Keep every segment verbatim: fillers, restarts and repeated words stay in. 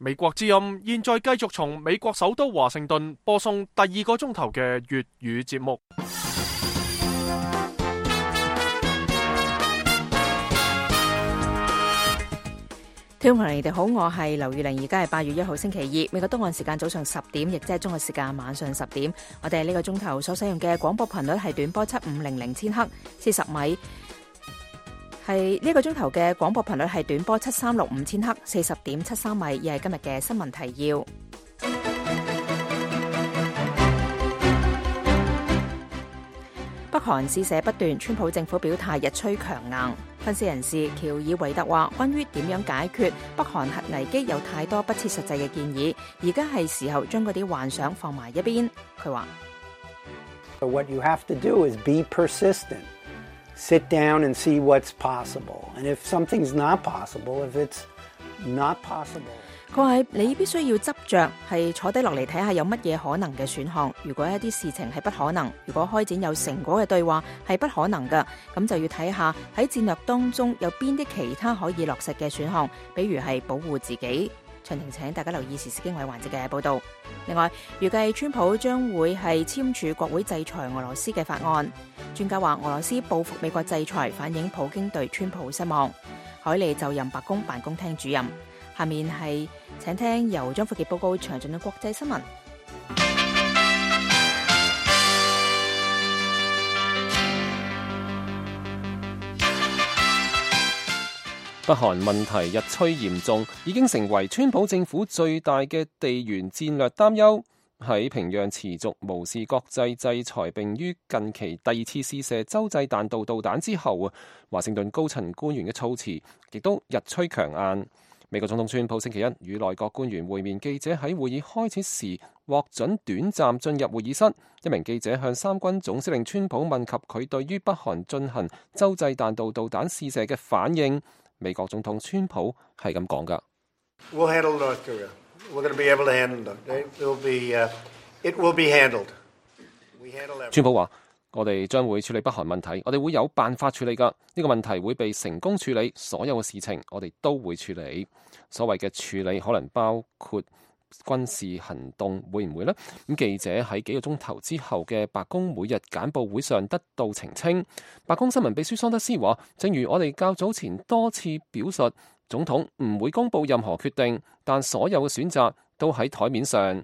美國之音現在繼續從美國首都華盛頓播送第二個鐘頭嘅粵語節目。聽眾朋友，你哋好，我係劉玉玲，而家係八月一號星期二，美國東岸時間早上十點，亦即係中國時間晚上十點。我哋呢個鐘頭所使用嘅廣播頻率係短波七五零零千赫，四十米。係呢個鐘頭嘅廣播頻率係短波七三六五千赫，四十點七三米，而係今日嘅新聞提要。北韓試射不斷，川普政府表態日趨強硬。分析人士喬爾維特話，關於點樣解決北韓核危機有太多不切實際嘅建議，而家係時候將嗰啲幻想放埋一邊。佢話 What you have to do is be persistent. Sit down and see what's possible. And if something's not possible, if it's not possible. 佢話你必須要執着，係坐低落嚟睇下有乜嘢可能嘅選項。如果一啲事情係不可能，如果開展有成果嘅對話係不可能嘅，咁就要睇下喺戰略當中有邊啲其他可以落實嘅選項，比如係保護自己。詳情請大家留意時事經緯環節嘅報導。另外，預計川普將會係簽署國會制裁俄羅斯嘅法案。專家話俄羅斯報復美國制裁，反映普京對川普失望。海利就任白宮辦公廳主任。下面係請聽由張富傑報告詳盡嘅國際新聞。北韓問題日趨嚴重，已經成為川普政府最大嘅地緣戰略擔憂。喺平壤持續無視國際制裁，並於近期第二次試射洲際彈道導彈之後啊，華盛頓高層官員嘅措辭亦都日趨強硬。美國總統川普星期一與內閣官員會面，記者喺會議開始時獲准短暫進入會議室。一名記者向三軍總司令川普問及佢對於北韓進行洲際彈道導彈試射嘅反應。美國總統川普係咁講㗎。We'll handle North Korea. We're going to be able to handle them. It will be, uh, it will be handled. We handle everything. 川普話：我哋將會處理北韓問題，我哋會有辦法處理㗎。呢個問題會被成功處理，所有嘅事情我哋都會處理。所謂嘅處理可能包括軍事行動，會唔會呢？咁記者喺幾個鐘頭之後嘅白宮每日簡報會上得到澄清。白宮新聞秘書桑德斯話：正如我哋較早前多次表述，總統唔會公布任何決定，但所有嘅選擇都喺台面上。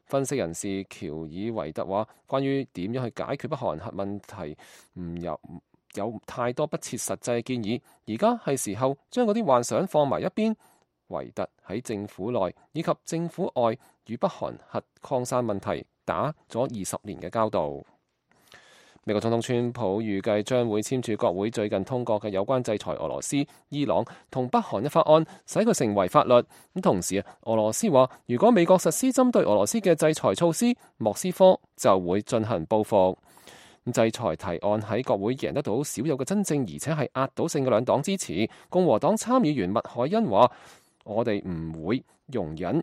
分析人士喬爾維特話：關於點樣去解決北韓核問題，唔有有太多不切實際嘅建議，而家係時候將嗰啲幻想放埋一邊。維特喺政府內以及政府外與北韓核擴散問題打咗二十年嘅交道。美國總統川普預計將會簽署國會最近通過嘅有關制裁俄羅斯、伊朗同北韓嘅法案，使佢成為法律。咁同時啊，俄羅斯話如果美國實施針對俄羅斯嘅制裁措施，莫斯科就會進行報復。制裁提案喺國會贏得到少有嘅真正而且係壓倒性嘅兩黨支持。共和黨參議員麥凱恩話：我哋唔會容忍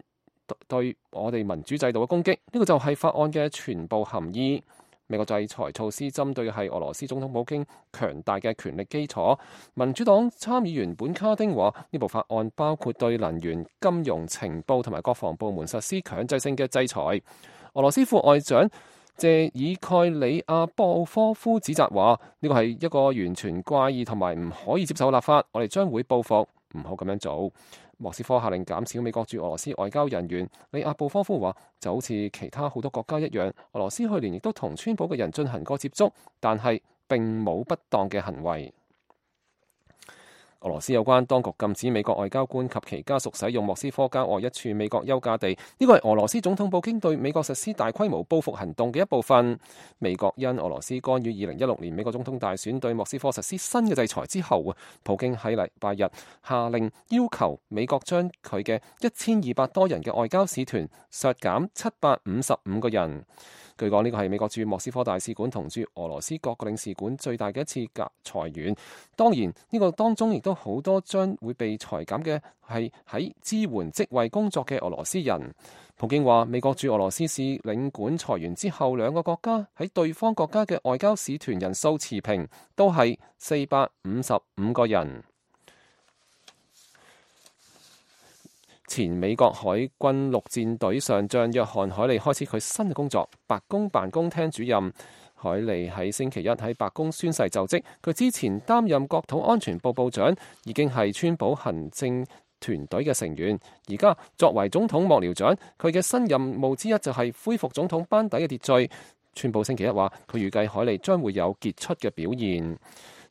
對我哋民主制度嘅攻擊，呢個就係法案嘅全部含義。美國制裁措施針對嘅係俄羅斯總統普京強大嘅權力基礎。民主黨參議員本卡丁話：呢部法案包括對能源、金融、情報同埋國防部門實施強制性嘅制裁。俄羅斯副外長謝爾蓋里亞布科夫指責話：呢個係一個完全怪異同埋唔可以接受嘅立法，我哋將會報復，唔好咁樣做。莫斯科下令減少美國駐俄羅斯外交人員。里亞布科夫話：就好似其他好多國家一樣，俄羅斯去年亦都同川普嘅人進行過接觸，但係並冇不當嘅行為。俄羅斯有關當局禁止美國外交官及其家屬使用莫斯科郊外一處美國休假地，呢個係俄羅斯總統普京對美國實施大規模報復行動嘅一部分。美國因俄羅斯干預二零一六年美國總統大選對莫斯科實施新嘅制裁之後啊，普京喺禮拜日下令要求美國將佢嘅一千二百多人嘅外交使團削減七百五十五個人。據講，呢個係美國駐莫斯科大使館同駐俄羅斯各個領事館最大嘅一次裁員。當然，呢個當中亦都好多將會被裁減嘅係喺支援職位工作嘅俄羅斯人。普京話，美國駐俄羅斯使領館裁員之後，兩個國家喺對方國家嘅外交使團人數持平，都係四百五十五個人。前美國海軍陸戰隊上將約翰海利開始佢新嘅工作，白宮辦公廳主任。海利喺星期一喺白宮宣誓就職，佢之前擔任國土安全部部長，已經係川普行政團隊嘅成員。而家作為總統幕僚長，佢嘅新任務之一就係恢復總統班底嘅秩序。川普星期一話，佢預計海利將會有傑出嘅表現。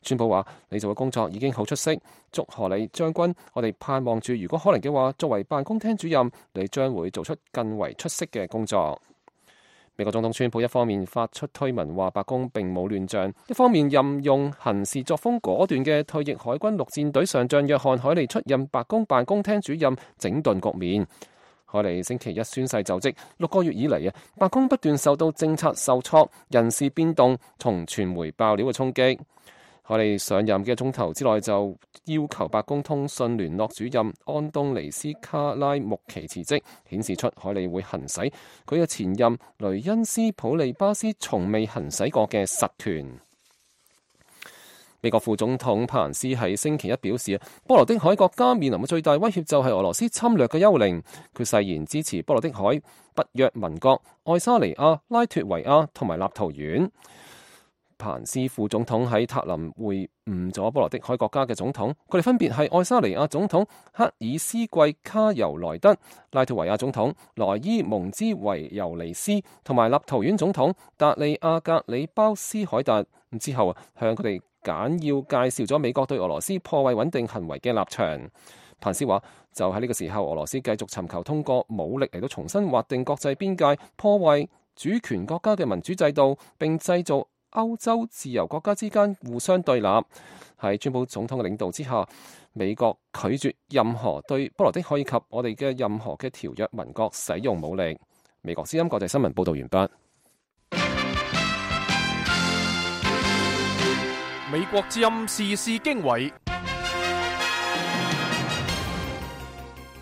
川普話：你做嘅工作已經好出色，祝賀你將軍。我哋盼望住，如果可能嘅話，作為辦公廳主任，你將會做出更為出色嘅工作。美國總統川普一方面發出推文話白宮並冇亂象，一方面任用行事作風果斷嘅退役海軍陸戰隊上將約翰海利出任白宮辦公廳主任，整頓局面。海利星期一宣誓就職，六個月以嚟啊，白宮不斷受到政策受挫、人事變動同傳媒爆料嘅衝擊。海利上任嘅鐘頭之內就要求白宮通訊聯絡主任安東尼斯卡拉穆奇辭職，顯示出海利會行使佢嘅前任雷恩斯普利巴斯從未行使過嘅實權。美國副總統彭斯喺星期一表示，波羅的海國家面臨嘅最大威脅就係俄羅斯侵略嘅幽靈。佢誓言支持波羅的海北約盟國愛沙尼亞、拉脫維亞同埋立陶宛。彭斯副總統喺塔林會晤咗波羅的海國家嘅總統，佢哋分別係愛沙尼亞總統克爾斯季卡尤萊德、拉脫維亞總統萊伊蒙茲維尤尼斯同埋立陶宛總統達利亞格里包斯凱達。之後向佢哋簡要介紹咗美國對俄羅斯破壞穩定行為嘅立場。彭斯話：就喺呢個時候，俄羅斯繼續尋求通過武力嚟到重新劃定國際邊界，破壞主權國家嘅民主制度，並製造歐洲自由國家之間互相對立。喺川普總統嘅領導之下，美國拒絕任何對波羅的海以及我哋嘅任何嘅條約盟國使用武力。美國之音國際新聞報道完畢。美國之音時事經緯，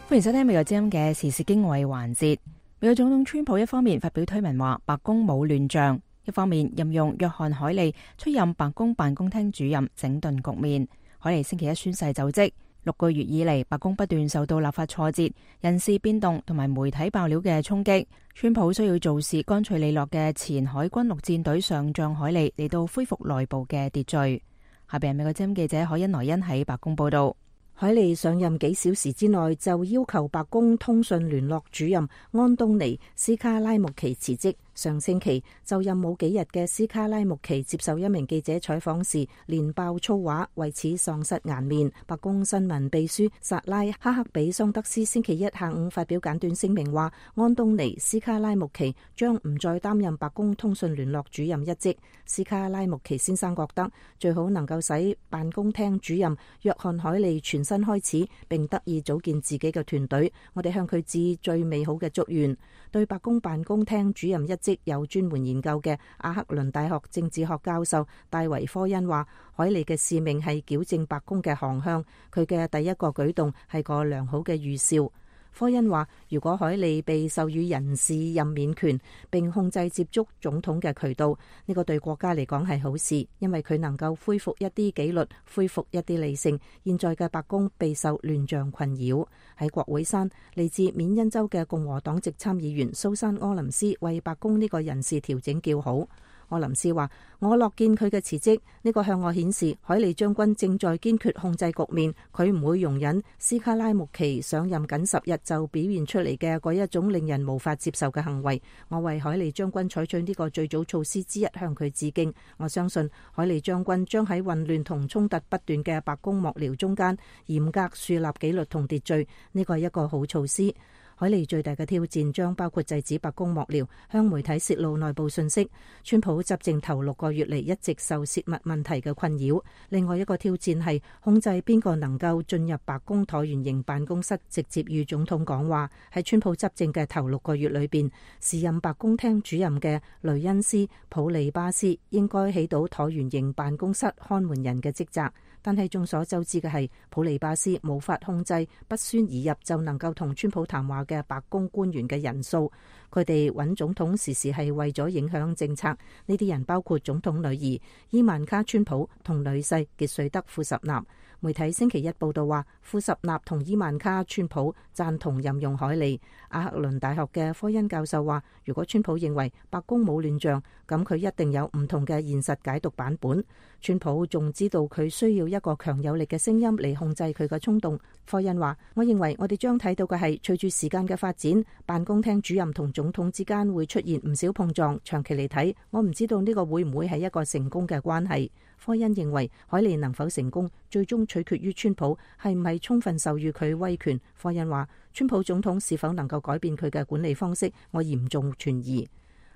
歡迎收聽美國之音嘅時事經緯環節。美國總統川普一方面發表推文話白宮冇亂象，一方面任用約翰海利出任白宮辦公廳主任，整頓局面。海利星期一宣誓就職。六個月以嚟，白宮不斷受到立法挫折、人事變動同埋媒體爆料嘅衝擊。川普需要做事乾脆利落嘅前海軍陸戰隊上將海利嚟到恢復內部嘅秩序。下邊係美國之音記者海恩萊恩喺白宮報道。海利上任幾小時之內就要求白宮通訊聯絡主任安東尼斯卡拉穆奇辭職。上星期就任冇幾日嘅斯卡拉穆奇接受一名記者採訪時連爆粗話，為此喪失顏面。白宮新聞秘書薩拉哈克比桑德斯星期一下午發表簡短聲明話，安東尼斯卡拉穆奇將唔再擔任白宮通訊聯絡主任一職。斯卡拉穆奇先生覺得最好能夠使辦公廳主任約翰海利全新開始，並得以組建自己嘅團隊。我哋向佢致最美好嘅祝願。對白宮辦公廳主任一職有專門研究嘅阿克倫大學政治學教授戴維科恩話，海利嘅使命係矯正白宮嘅航向，佢嘅第一個舉動係個良好嘅預兆。科恩話，如果海利被授予人事任免權並控制接觸總統嘅渠道，呢個對國家嚟講係好事，因為佢能夠恢復一啲紀律，恢復一啲理性。現在嘅白宮備受亂象困擾。喺國會山，嚟自緬因州嘅共和黨籍參議員蘇珊柯林斯為白宮呢個人事調整叫好。柯林斯話，我樂見佢嘅辭職，呢個向我顯示海利將軍正在堅決控制局面，佢唔會容忍斯卡拉穆奇上任僅十日就表現出嚟嘅嗰一種令人無法接受嘅行為。我為海利將軍採取呢個最早措施之一向佢致敬。我相信海利將軍將喺混亂同衝突不斷嘅白宮幕僚中間嚴格樹立紀律同秩序，呢個係一個好措施。海利最大嘅挑戰將包括制止白宮幕僚向媒體泄露內部信息。川普執政頭六個月嚟一直受泄密問題嘅困擾。另外一個挑戰係控制邊個能夠進入白宮橢圓形辦公室直接與總統講話。喺川普執政嘅頭六個月裏邊，時任白宮廳主任嘅雷恩斯普利巴斯應該起到橢圓形辦公室看門人嘅職責。但係眾所周知嘅係，普利巴斯無法控制不宣而入就能夠同川普談話嘅白宮官員嘅人數。佢哋揾總統時時係為咗影響政策。呢啲人包括總統女兒伊萬卡川普同女婿傑瑞德庫什納。媒體星期一報道話，庫什納同伊萬卡川普贊同任用凱利。阿克倫大學嘅科恩教授話，如果川普認為白宮冇亂象，咁佢一定有唔同嘅現實解讀版本。川普仲知道佢需要一個強有力嘅聲音嚟控制佢嘅衝動。科恩話，我認為我哋將睇到嘅係隨住時間嘅發展，辦公廳主任同總統之間會出現唔少碰撞。長期嚟睇，我唔知道呢個會唔會係一個成功嘅關係。科恩認為凱利能否成功，最終取決於川普係唔係充分授予佢威權。科恩話，川普總統是否能夠改變佢嘅管理方式，我嚴重存疑。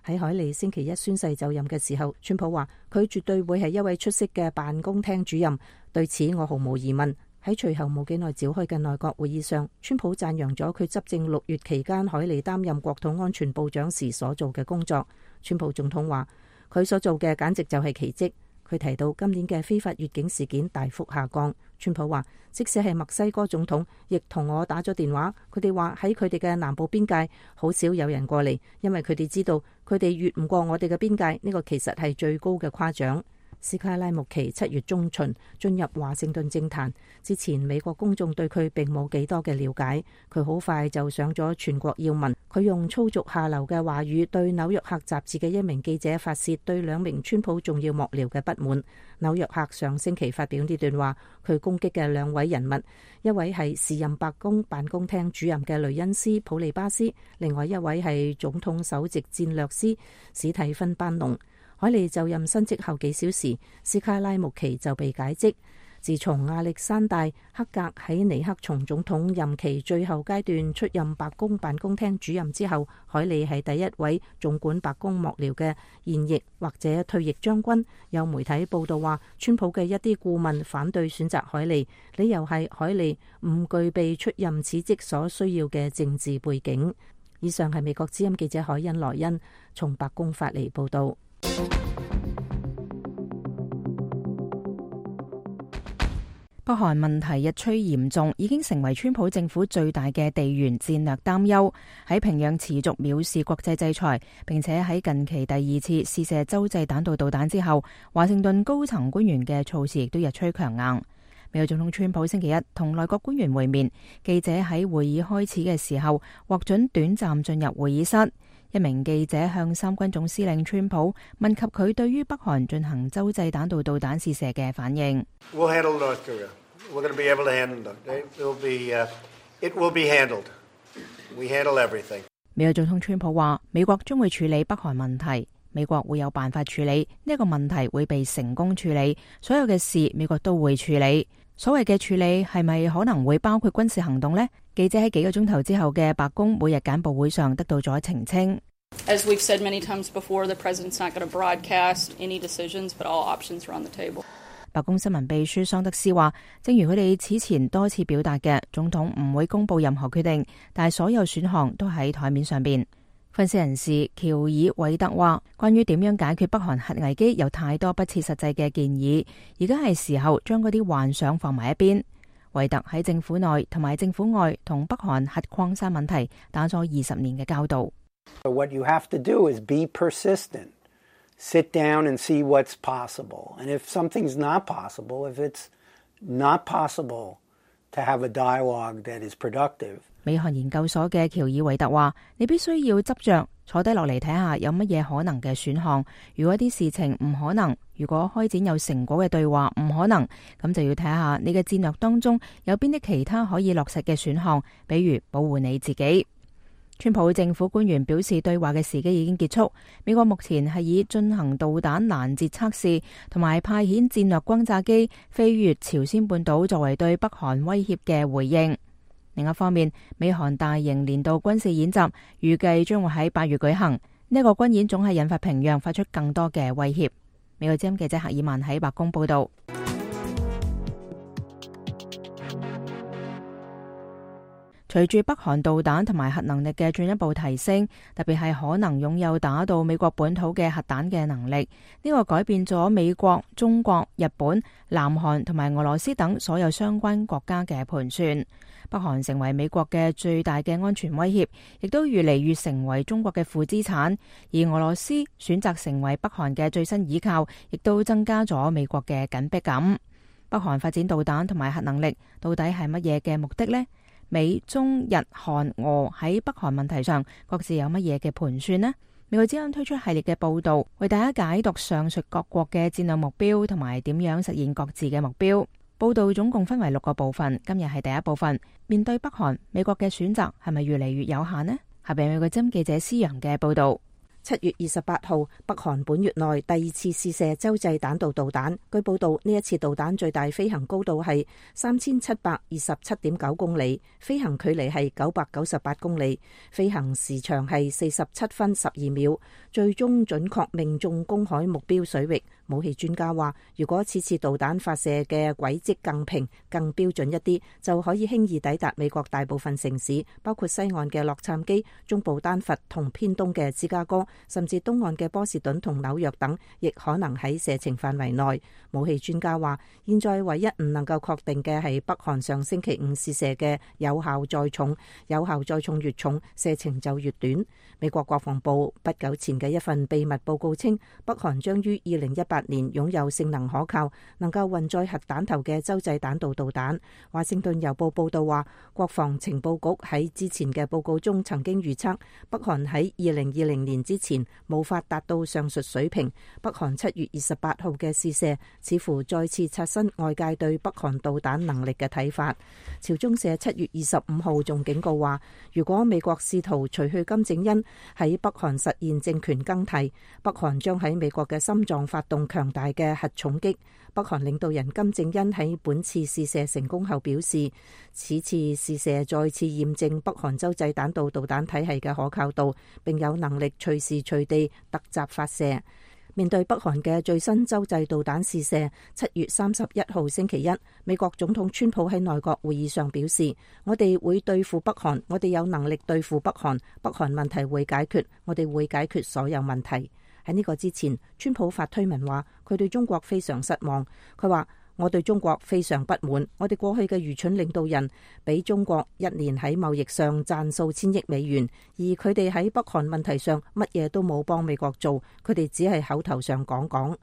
喺凱利星期一宣誓就任嘅時候，川普話佢絕對會係一位出色嘅辦公廳主任，對此我毫無疑問。喺隨後冇幾耐召開嘅內閣會議上，川普讚揚咗佢執政六月期間凱利擔任國土安全部長時所做嘅工作。川普總統話佢所做嘅簡直就係奇蹟。佢提到今年嘅非法越境事件大幅下降。川普話，即使係墨西哥總統亦同我打咗電話，佢哋話喺佢哋嘅南部邊界好少有人過嚟，因為佢哋知道佢哋越唔過我哋嘅邊界，呢個其實係最高嘅誇獎。斯卡拉穆奇七月中旬進入華盛頓政壇之前，美國公眾對佢並冇幾多嘅了解。佢好快就上咗全國要聞。佢用粗俗下流嘅話語對紐約客雜誌嘅一名記者發洩對兩名川普重要幕僚嘅不滿。紐約客上星期發表呢段話，佢攻擊嘅兩位人物，一位係時任白宮辦公廳主任嘅雷恩斯普利巴斯，另外一位係總統首席戰略師史蒂芬班農。凱利就任新職後幾小時，斯卡拉穆奇就被解職。自從亞歷山大克格喺尼克松總統任期最後階段出任白宮辦公廳主任之後，凱利係第一位縱管白宮幕僚嘅現役或者退役將軍。有媒體報道話，川普嘅一啲顧問反對選擇凱利，理由係凱利唔具備出任此職所需要嘅政治背景。以上係美國之音記者凱恩萊恩從白宮發嚟報道。北韓問題日趨嚴重，已經成為川普政府最大嘅地緣戰略擔憂。喺平壤持續藐視國際制裁，並且喺近期第二次試射洲際彈道導彈之後，華盛頓高層官員嘅措辭亦都日趨強硬。美國總統川普星期一同內閣官員會面，記者喺會議開始嘅時候獲准短暫進入會議室。一名記者向三軍總司令川普問及佢對於北韓進行洲際彈道導彈試射嘅反應。We'll handle North Korea. We're going to be able to handle it. It will be, uh, it will be handled. We handle everything. 美國總統川普話：美國將會處理北韓問題，美國會有辦法處理呢一個問題，會被成功處理。所有嘅事美國都會處理。所謂嘅處理係咪可能會包括軍事行動呢？記者喺幾個鐘頭之後嘅白宮每日簡報會上得到咗澄清。As we've said many times before, the president's not going to broadcast any decisions, but all options are on the table. 白宮新聞秘書桑德斯話，正如佢哋此前多次表達嘅，總統唔會公布任何決定，但係所有選項都喺台面上邊。分析人士喬爾韋特話，關於點樣解決北韓核危機有太多不切實際嘅建議，而家係時候將嗰啲幻想放埋一邊。韋特喺政府內同埋政府外同北韓核擴散問題打咗二十年嘅交道。So what you have to do is be persistent. Sit down and see what's possible. And if something's not possible, if it's not possible to have a dialogue that is productive. 美韓研究所嘅喬爾韋特話，你必須要執着坐低落嚟睇下有乜嘢可能嘅選項。如果啲事情唔可能，如果開展有成果嘅對話唔可能，咁就要睇下你嘅戰略當中有邊啲其他可以落實嘅選項，比如保護你自己。川普政府官員表示，對話嘅時機已經結束。美國目前係以進行導彈攔截測試同埋派遣戰略轟炸機飛越朝鮮半島作為對北韓威脅嘅回應。另一方面，美韓大型年度軍事演習預計將會喺八月舉行。呢一個軍演總係引發平壤發出更多嘅威脅。美國之音記者赫爾曼喺白宮報道。隨住北韓導彈同埋核能力嘅進一步提升，特別係可能擁有打到美國本土嘅核彈嘅能力，呢個改變咗美國、中國、日本、南韓同埋俄羅斯等所有相關國家嘅盤算。北韓成為美國嘅最大嘅安全威脅，亦都越嚟越成為中國嘅負資產。而俄羅斯選擇成為北韓嘅最新倚靠，亦都增加咗美國嘅緊迫感。北韓發展導彈同埋核能力到底係乜嘢嘅目的呢？美、中、日、韓、俄喺北韓問題上各自有乜嘢嘅盤算呢？美國之音推出系列嘅報道，為大家解讀上述各國嘅戰略目標同埋點樣實現各自嘅目標。報道總共分為六個部分，今日係第一部分。面對北韓，美國嘅選擇係咪越嚟越有限呢？下邊美國之音記者施洋嘅報道。七月二十八號，北韓本月內第二次試射洲際彈道導彈。據報道，呢一次導彈最大飛行高度係三千七百二十七點九公里，飛行距離係九百九十八公里，飛行時長係四十七分十二秒，最終準確命中公海目標水域。武器專家話，如果此次導彈發射嘅軌跡更平、更標準一啲，就可以輕易抵達美國大部分城市，包括西岸嘅洛杉磯、中部丹佛同偏東嘅芝加哥，甚至東岸嘅波士頓同紐約等，亦可能喺射程範圍內。武器專家話，現在唯一唔能夠確定嘅係北韓上星期五試射嘅有效載重，有效載重越重，射程就越短。美國國防部不久前嘅一份秘密報告稱，北韓將於二零一八年擁有性能可靠、能夠運載核彈頭嘅洲際彈道導彈。華盛頓郵報報道話，國防情報局喺之前嘅報告中曾經預測，北韓喺二零二零年之前無法達到上述水平。北韓七月二十八號嘅試射似乎再次刷新外界對北韓導彈能力嘅睇法。朝中社七月二十五號仲警告話，如果美國試圖除去金正恩喺北韓實現政權更替，北韓將喺美國嘅心臟發動強大嘅核重擊。北韓領導人金正恩喺本次試射成功後表示，此次試射再次驗證北韓洲際彈道導彈體系嘅可靠度，並有能力隨時隨地突襲發射。面對北韓嘅最新洲際導彈試射，七月三十一號星期一，美國總統川普喺內閣會議上表示，我哋會對付北韓，我哋有能力對付北韓，北韓問題會解決，我哋會解決所有問題。喺呢個之前，川普發推文話，佢對中國非常失望。佢話，我對中國非常不滿，我哋過去嘅愚蠢領導人俾中國一年喺貿易上賺數千億美元，而佢哋喺北韓問題上乜嘢都冇幫美國做，佢哋只係口頭上講講。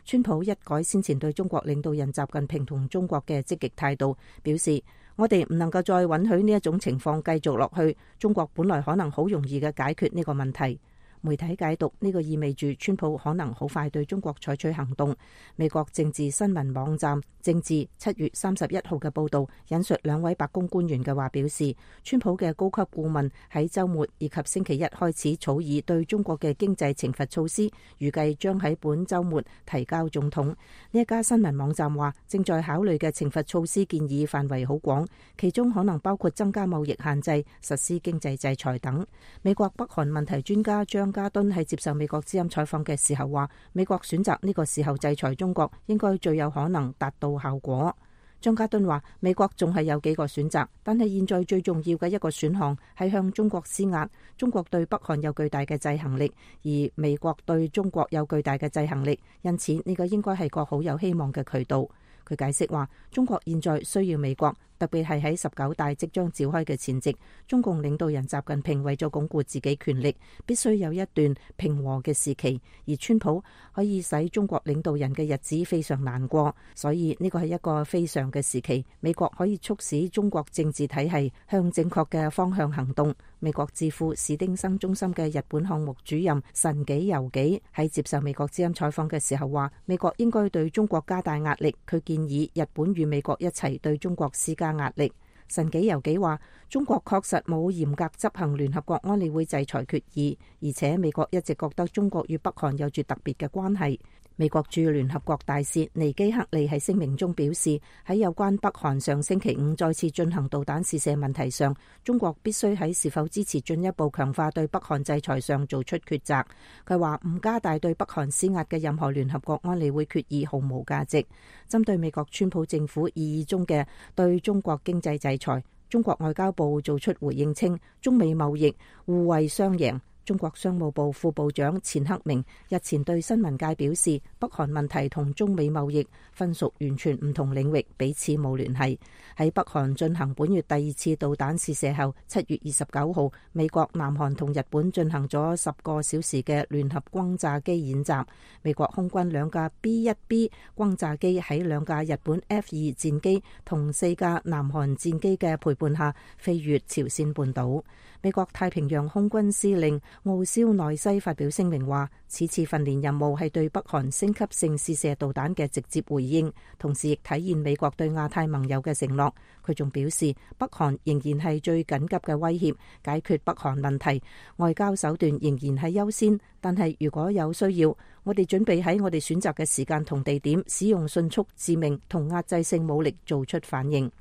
川普一改先前對中國領導人習近平同中國嘅積極態度，表示我哋唔能夠再允許呢一種情況繼續落去，中國本來可能好容易嘅解決呢個問題。媒體解讀呢個意味住川普可能好快對中國採取行動。美國政治新聞網站政治七月三十一號嘅報導引述兩位白宮官員嘅話表示，川普嘅高級顧問喺週末以及星期一開始草擬對中國嘅經濟懲罰措施，預計將喺本週末提交總統。呢一家新聞網站話，正在考慮嘅懲罰措施建議範圍好廣，其中可能包括增加貿易限制、實施經濟制裁等。美國北韓問題專家張加敦喺接受美國之音採訪嘅時候話，美國選擇呢個時候制裁中國，應該最有可能達到效果。張加敦話，美國仲係有幾個選擇，但係現在最重要嘅一個選項係向中國施壓。中國對北韓有巨大嘅制衡力，而美國對中國有巨大嘅制衡力，因此呢個應該係個好有希望嘅渠道。佢解釋話，中國現在需要美國，特別係喺十九大即將召開嘅前夕，中共領導人習近平為咗鞏固自己權力，必須有一段平和嘅時期，而川普可以使中國領導人嘅日子非常難過，所以呢個係一個非常嘅時期，美國可以促使中國政治體系向正確嘅方向行動。美國智庫史丁生中心嘅日本項目主任神紀由紀喺接受美國之音採訪嘅時候話，美國應該對中國加大壓力，佢建議日本與美國一齊對中國施加壓力。神紀由紀話，中國確實冇嚴格執行聯合國安理會制裁決議，而且美國一直覺得中國與北韓有住特別嘅關係。美國駐聯合國大使尼基克利喺聲明中表示，喺有關北韓上星期五再次進行導彈試射問題上，中國必須喺是否支持進一步強化對北韓制裁上做出抉擇。佢話唔加大對北韓施壓嘅任何聯合國安理會決議毫無價值。針對美國川普政府意義中嘅對中國經濟制裁，中國外交部做出回應稱，中美貿易互惠雙贏。中國商務部副部長錢克明日前對新聞界表示，北韓問題同中美貿易分屬完全唔同領域，彼此冇聯繫。喺北韓進行本月第二次導彈試射後，七月二十九號，美國、南韓同日本進行咗十個小時嘅聯合轟炸機演習。美國空軍兩架 B 一 B 轟炸機喺兩架日本 F 二戰機同四架南韓戰機嘅陪伴下飛越朝鮮半島。美國太平洋空軍司令奧肖內西發表聲明話，此次訓練任務係對北韓升級性試射導彈嘅直接回應，同時亦體現美國對亞太盟友嘅承諾。佢仲表示，北韓仍然係最緊急嘅威脅，解決北韓問題，外交手段仍然係優先，但係如果有需要，我哋準備喺我哋選擇嘅時間同地點，使用迅速、致命同壓制性武力做出反應。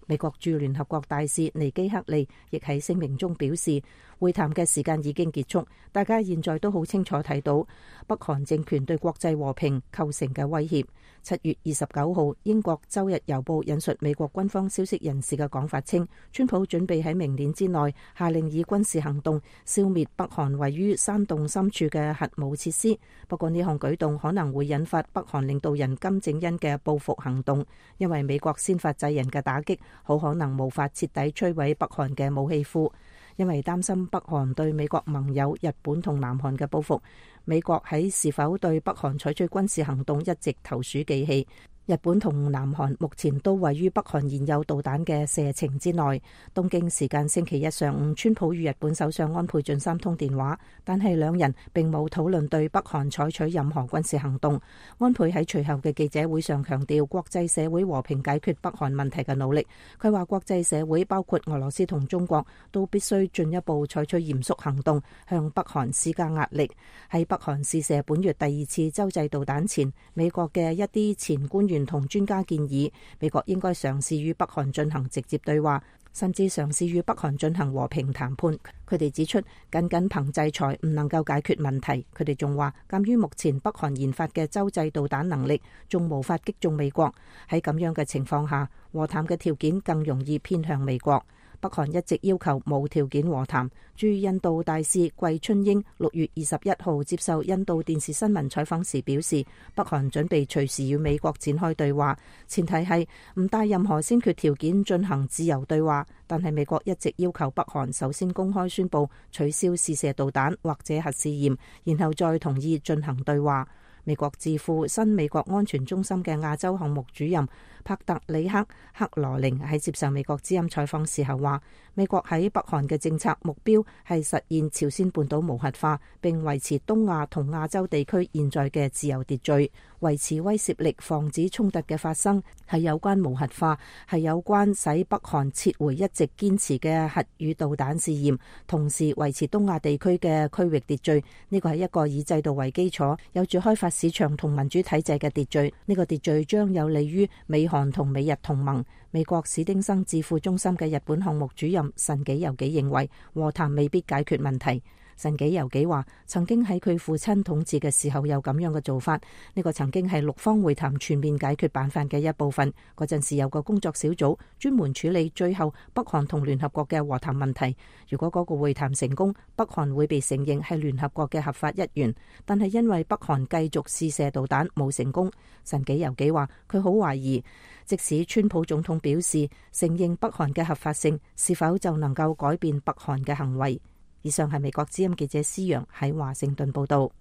美國駐聯合國大使尼基克利亦喺聲明中表示，會談嘅時間已經結束，大家現在都好清楚睇到北韓政權對國際和平構成嘅威脅。七月二十九號，英國周日郵報引述美國軍方消息人士嘅講法稱，川普準備喺明年之內下令以軍事行動消滅北韓位於山洞深處嘅核武設施。不過呢項舉動可能會引發北韓領導人金正恩嘅報復行動，因為美國先發制人嘅打擊好可能無法徹底摧毀北韓嘅武器庫。因為擔心北韓對美國盟友日本同南韓嘅報復，美國喺是否對北韓採取軍事行動一直投鼠忌器。日本同南韓目前都位於北韓現有導彈嘅射程之內。東京時間星期一上午，川普與日本首相安倍晉三通電話，但係兩人並冇討論對北韓採取任何軍事行動。安倍喺隨後嘅記者會上強調國際社會和平解決北韓問題嘅努力。佢話國際社會包括俄羅斯同中國都必須進一步採取嚴肅行動，向北韓施加壓力。喺北韓試射本月第二次洲際導彈前，美國嘅一啲前官員同專家建議，美國應該嘗試與北韓進行直接對話，甚至嘗試與北韓進行和平談判。佢哋指出，僅僅憑制裁唔能夠解決問題。佢哋仲話，鑑於目前北韓研發嘅洲際導彈能力仲無法擊中美國，喺咁樣嘅情況下，和談嘅條件更容易偏向美國。北韓一直要求無條件和談。駐印度大使季春英六月二十一號接受印度電視新聞採訪時表示，北韓準備隨時與美國展開對話，前提係唔帶任何先決條件進行自由對話。但係美國一直要求北韓首先公開宣布取消試射導彈或者核試驗，然後再同意進行對話。美國智庫新美國安全中心嘅亞洲項目主任帕特里克克羅寧喺接受美國之音採訪時候話，美國喺北韓嘅政策目標係實現朝鮮半島無核化，並維持東亞同亞洲地區現在嘅自由秩序，維持威懾力，防止衝突嘅發生，係有關無核化，係有關使北韓撤回一直堅持嘅核與導彈試驗，同時維持東亞地區嘅區域秩序。呢個係一個以制度為基礎，有住開發市場同民主體制嘅秩序。呢個秩序將有利於美韓同美日同盟。美國史丁生智庫中心嘅日本項目主任神紀由紀認為，和談未必解決問題。神紀由紀話，曾經喺佢父親統治嘅時候有咁樣嘅做法，呢個曾經係六方會談全面解決辦法嘅一部分。嗰陣時有個工作小組專門處理最後北韓同聯合國嘅和談問題。如果嗰個會談成功，北韓會被承認係聯合國嘅合法一員。但係因為北韓繼續試射導彈冇成功，神紀由紀話佢好懷疑，即使川普總統表示承認北韓嘅合法性，是否就能夠改變北韓嘅行為？以上係美國之音記者施陽喺華盛頓報道。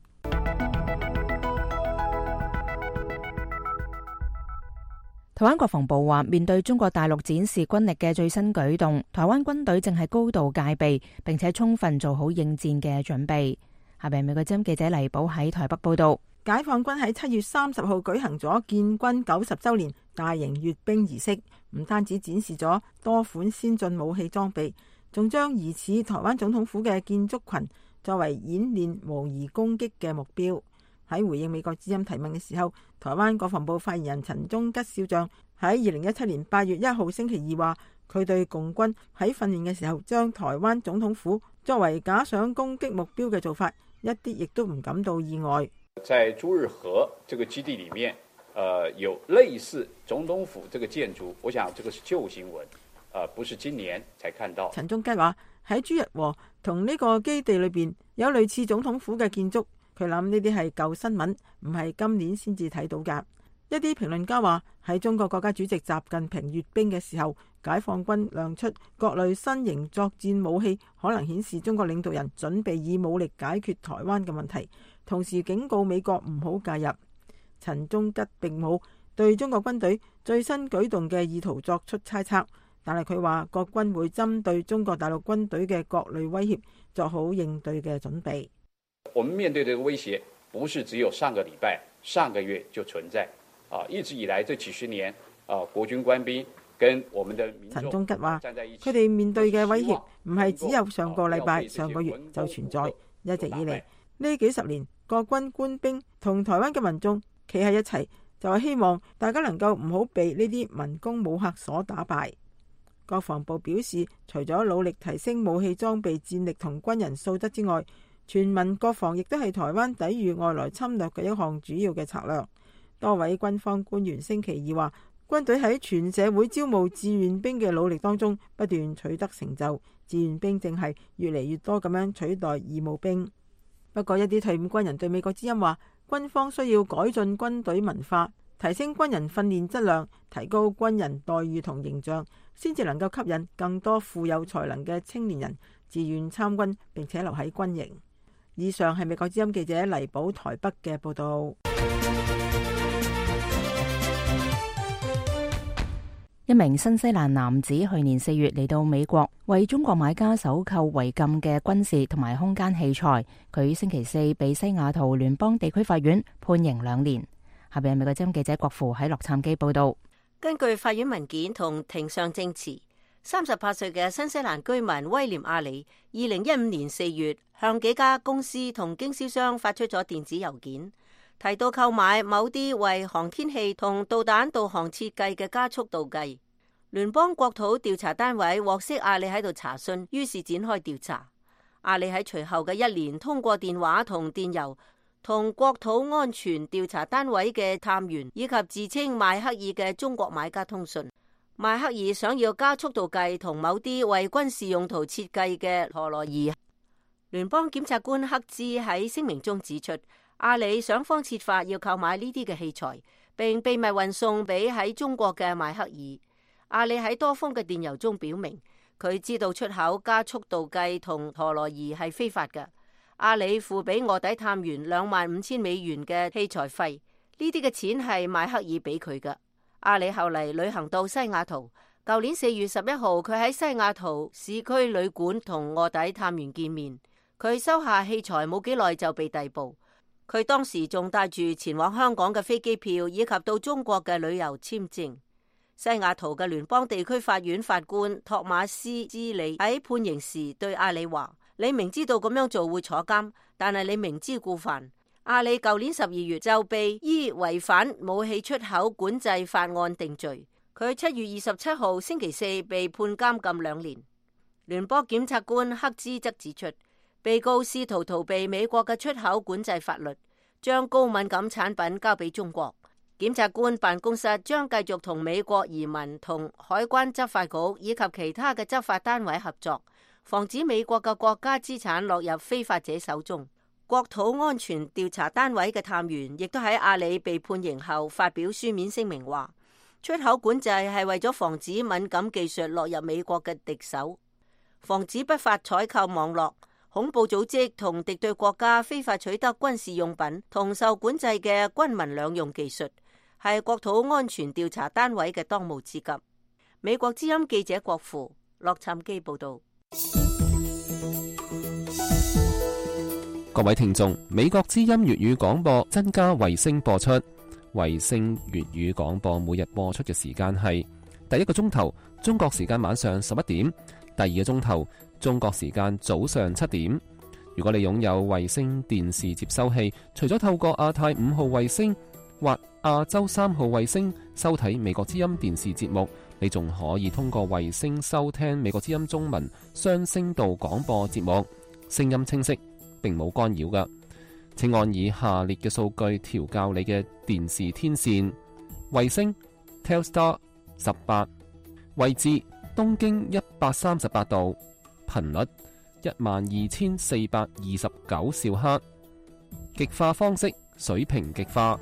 台灣國防部話，面對中國大陸展示軍力嘅最新舉動，台灣軍隊正係高度戒備，並且充分做好應戰嘅準備。下邊美國之音記者黎寶喺台北報道。解放軍喺七月三十號舉行咗建軍九十周年大型閱兵儀式，唔單止展示咗多款先進武器裝備，仲將疑似台灣總統府嘅建築群作為演練模擬攻擊嘅目標。喺回應美國之音提問嘅時候，台灣國防部發言人陳忠吉少將喺二零一七年八月一號星期二話，佢對共軍喺訓練嘅時候將台灣總統府作為假想攻擊目標嘅做法，一啲亦都唔感到意外。在朱日和這個基地裡面，呃，有類似總統府這個建築，我想這個是舊新聞。呃，不是今年才看到。陳忠吉話：喺朱日和同呢個基地裏邊有類似總統府嘅建築，佢諗呢啲係舊新聞，唔係今年先至睇到㗎。一啲評論家話喺中國國家主席習近平閱兵嘅時候，解放軍亮出各類新型作戰武器，可能顯示中國領導人準備以武力解決台灣嘅問題，同時警告美國唔好介入。陳忠吉並冇對中國軍隊最新舉動嘅意圖作出猜測，但係佢話國軍會針對中國大陸軍隊嘅各類威脅做好應對嘅準備。我們面對這個威脅，不是只有上個禮拜、上個月就存在。啊！一直以來這幾十年，啊，國軍官兵跟我們的民眾陳忠吉話，佢哋面對嘅威脅唔係只有上個禮拜、上個月就存在，一直以嚟呢幾十年，國軍官兵同台灣嘅民眾企喺一齊，就係希望大家能夠唔好被呢啲民工武嚇所打敗。國防部表示，除咗努力提升武器裝備戰力同軍人素質之外，全民國防亦都係台灣抵禦外來侵略嘅一項主要嘅策略。多位軍方官員星期二話，軍隊喺全社會招募志願兵嘅努力當中不斷取得成就，志願兵正係越嚟越多咁樣取代義務兵。不過一啲退伍軍人對美國之音話，軍方需要改進軍隊文化，提升軍人訓練質量，提高軍人待遇同形象，先至能夠吸引更多富有才能嘅青年人自願參軍並且留喺軍營。以上係美國之音記者黎寶台北嘅報道。一名新西蘭男子去年四月嚟到美國，為中國買家搜購違禁嘅軍事同埋空間器材。佢星期四被西雅圖聯邦地區法院判刑兩年。下邊係美國之音記者郭芙喺洛杉磯報道。根據法院文件同庭上證詞，三十八歲嘅新西蘭居民威廉阿里，二零一五年四月向幾家公司同經銷商發出咗電子郵件，提到購買某啲為航天器同導彈導航設計嘅加速度計。聯邦國土調查單位獲悉阿里喺度查詢，於是展開調查。阿里喺隨後嘅一年通過電話同電郵同國土安全調查單位嘅探員以及自稱邁克爾嘅中國買家通訊。邁克爾想要加速度計同某啲為軍事用途設計嘅陀螺儀。聯邦檢察官克茲喺聲明中指出，阿里想方設法要購買呢啲嘅器材，並秘密運送俾喺中國嘅邁克爾。阿里喺多封嘅電郵中表明，佢知道出口加速度計同陀螺儀係非法嘅。阿里付俾臥底探員兩萬五千美元嘅器材費，呢啲嘅錢係邁克爾俾佢嘅。阿里後嚟旅行到西雅圖，舊年四月十一號，佢喺西雅圖市區旅館同臥底探員見面。佢收下器材冇幾耐就被逮捕。佢當時仲帶住前往香港嘅飛機票以及到中國嘅旅遊簽證。西雅圖嘅聯邦地區法院法官托馬斯茲里喺判刑時對阿里話：你明知道咁樣做會坐監，但係你明知故犯。阿里舊年十二月就被依違反武器出口管制法案定罪。佢七月二十七號星期四被判監禁兩年。聯邦檢察官克茲則指出，被告試圖逃避美國嘅出口管制法律，將高敏感產品交俾中國。檢察官辦公室將繼續同美國移民同海關執法局以及其他嘅執法單位合作，防止美國嘅國家資產落入非法者手中。國土安全調查單位嘅探員亦都喺阿里被判刑後發表書面聲明話，出口管制係為咗防止敏感技術落入美國嘅敵手，防止不法採購網絡、恐怖組織同敵對國家非法取得軍事用品同受管制嘅軍民兩用技術，係國土安全調查單位嘅當務之急。美國之音記者郭芙，洛杉磯報道。各位聽眾，美國之音粵語廣播增加衛星播出。衛星粵語廣播每日播出嘅時間係第一個鐘頭中國時間晚上十一點，第二個鐘頭中國時間早上七點。如果你擁有衛星電視接收器，除咗透過亞太五號衛星或亞洲三號衛星收睇美國之音電視節目，你仲可以通過衛星收聽美國之音中文雙聲道廣播節目，聲音清晰，並冇干擾㗎。請按以下列嘅數據調校你嘅電視天線：衛星 Telstar 十八，位置東經一百三十八度，頻率一萬二千四百二十九兆赫，極化方式水平極化，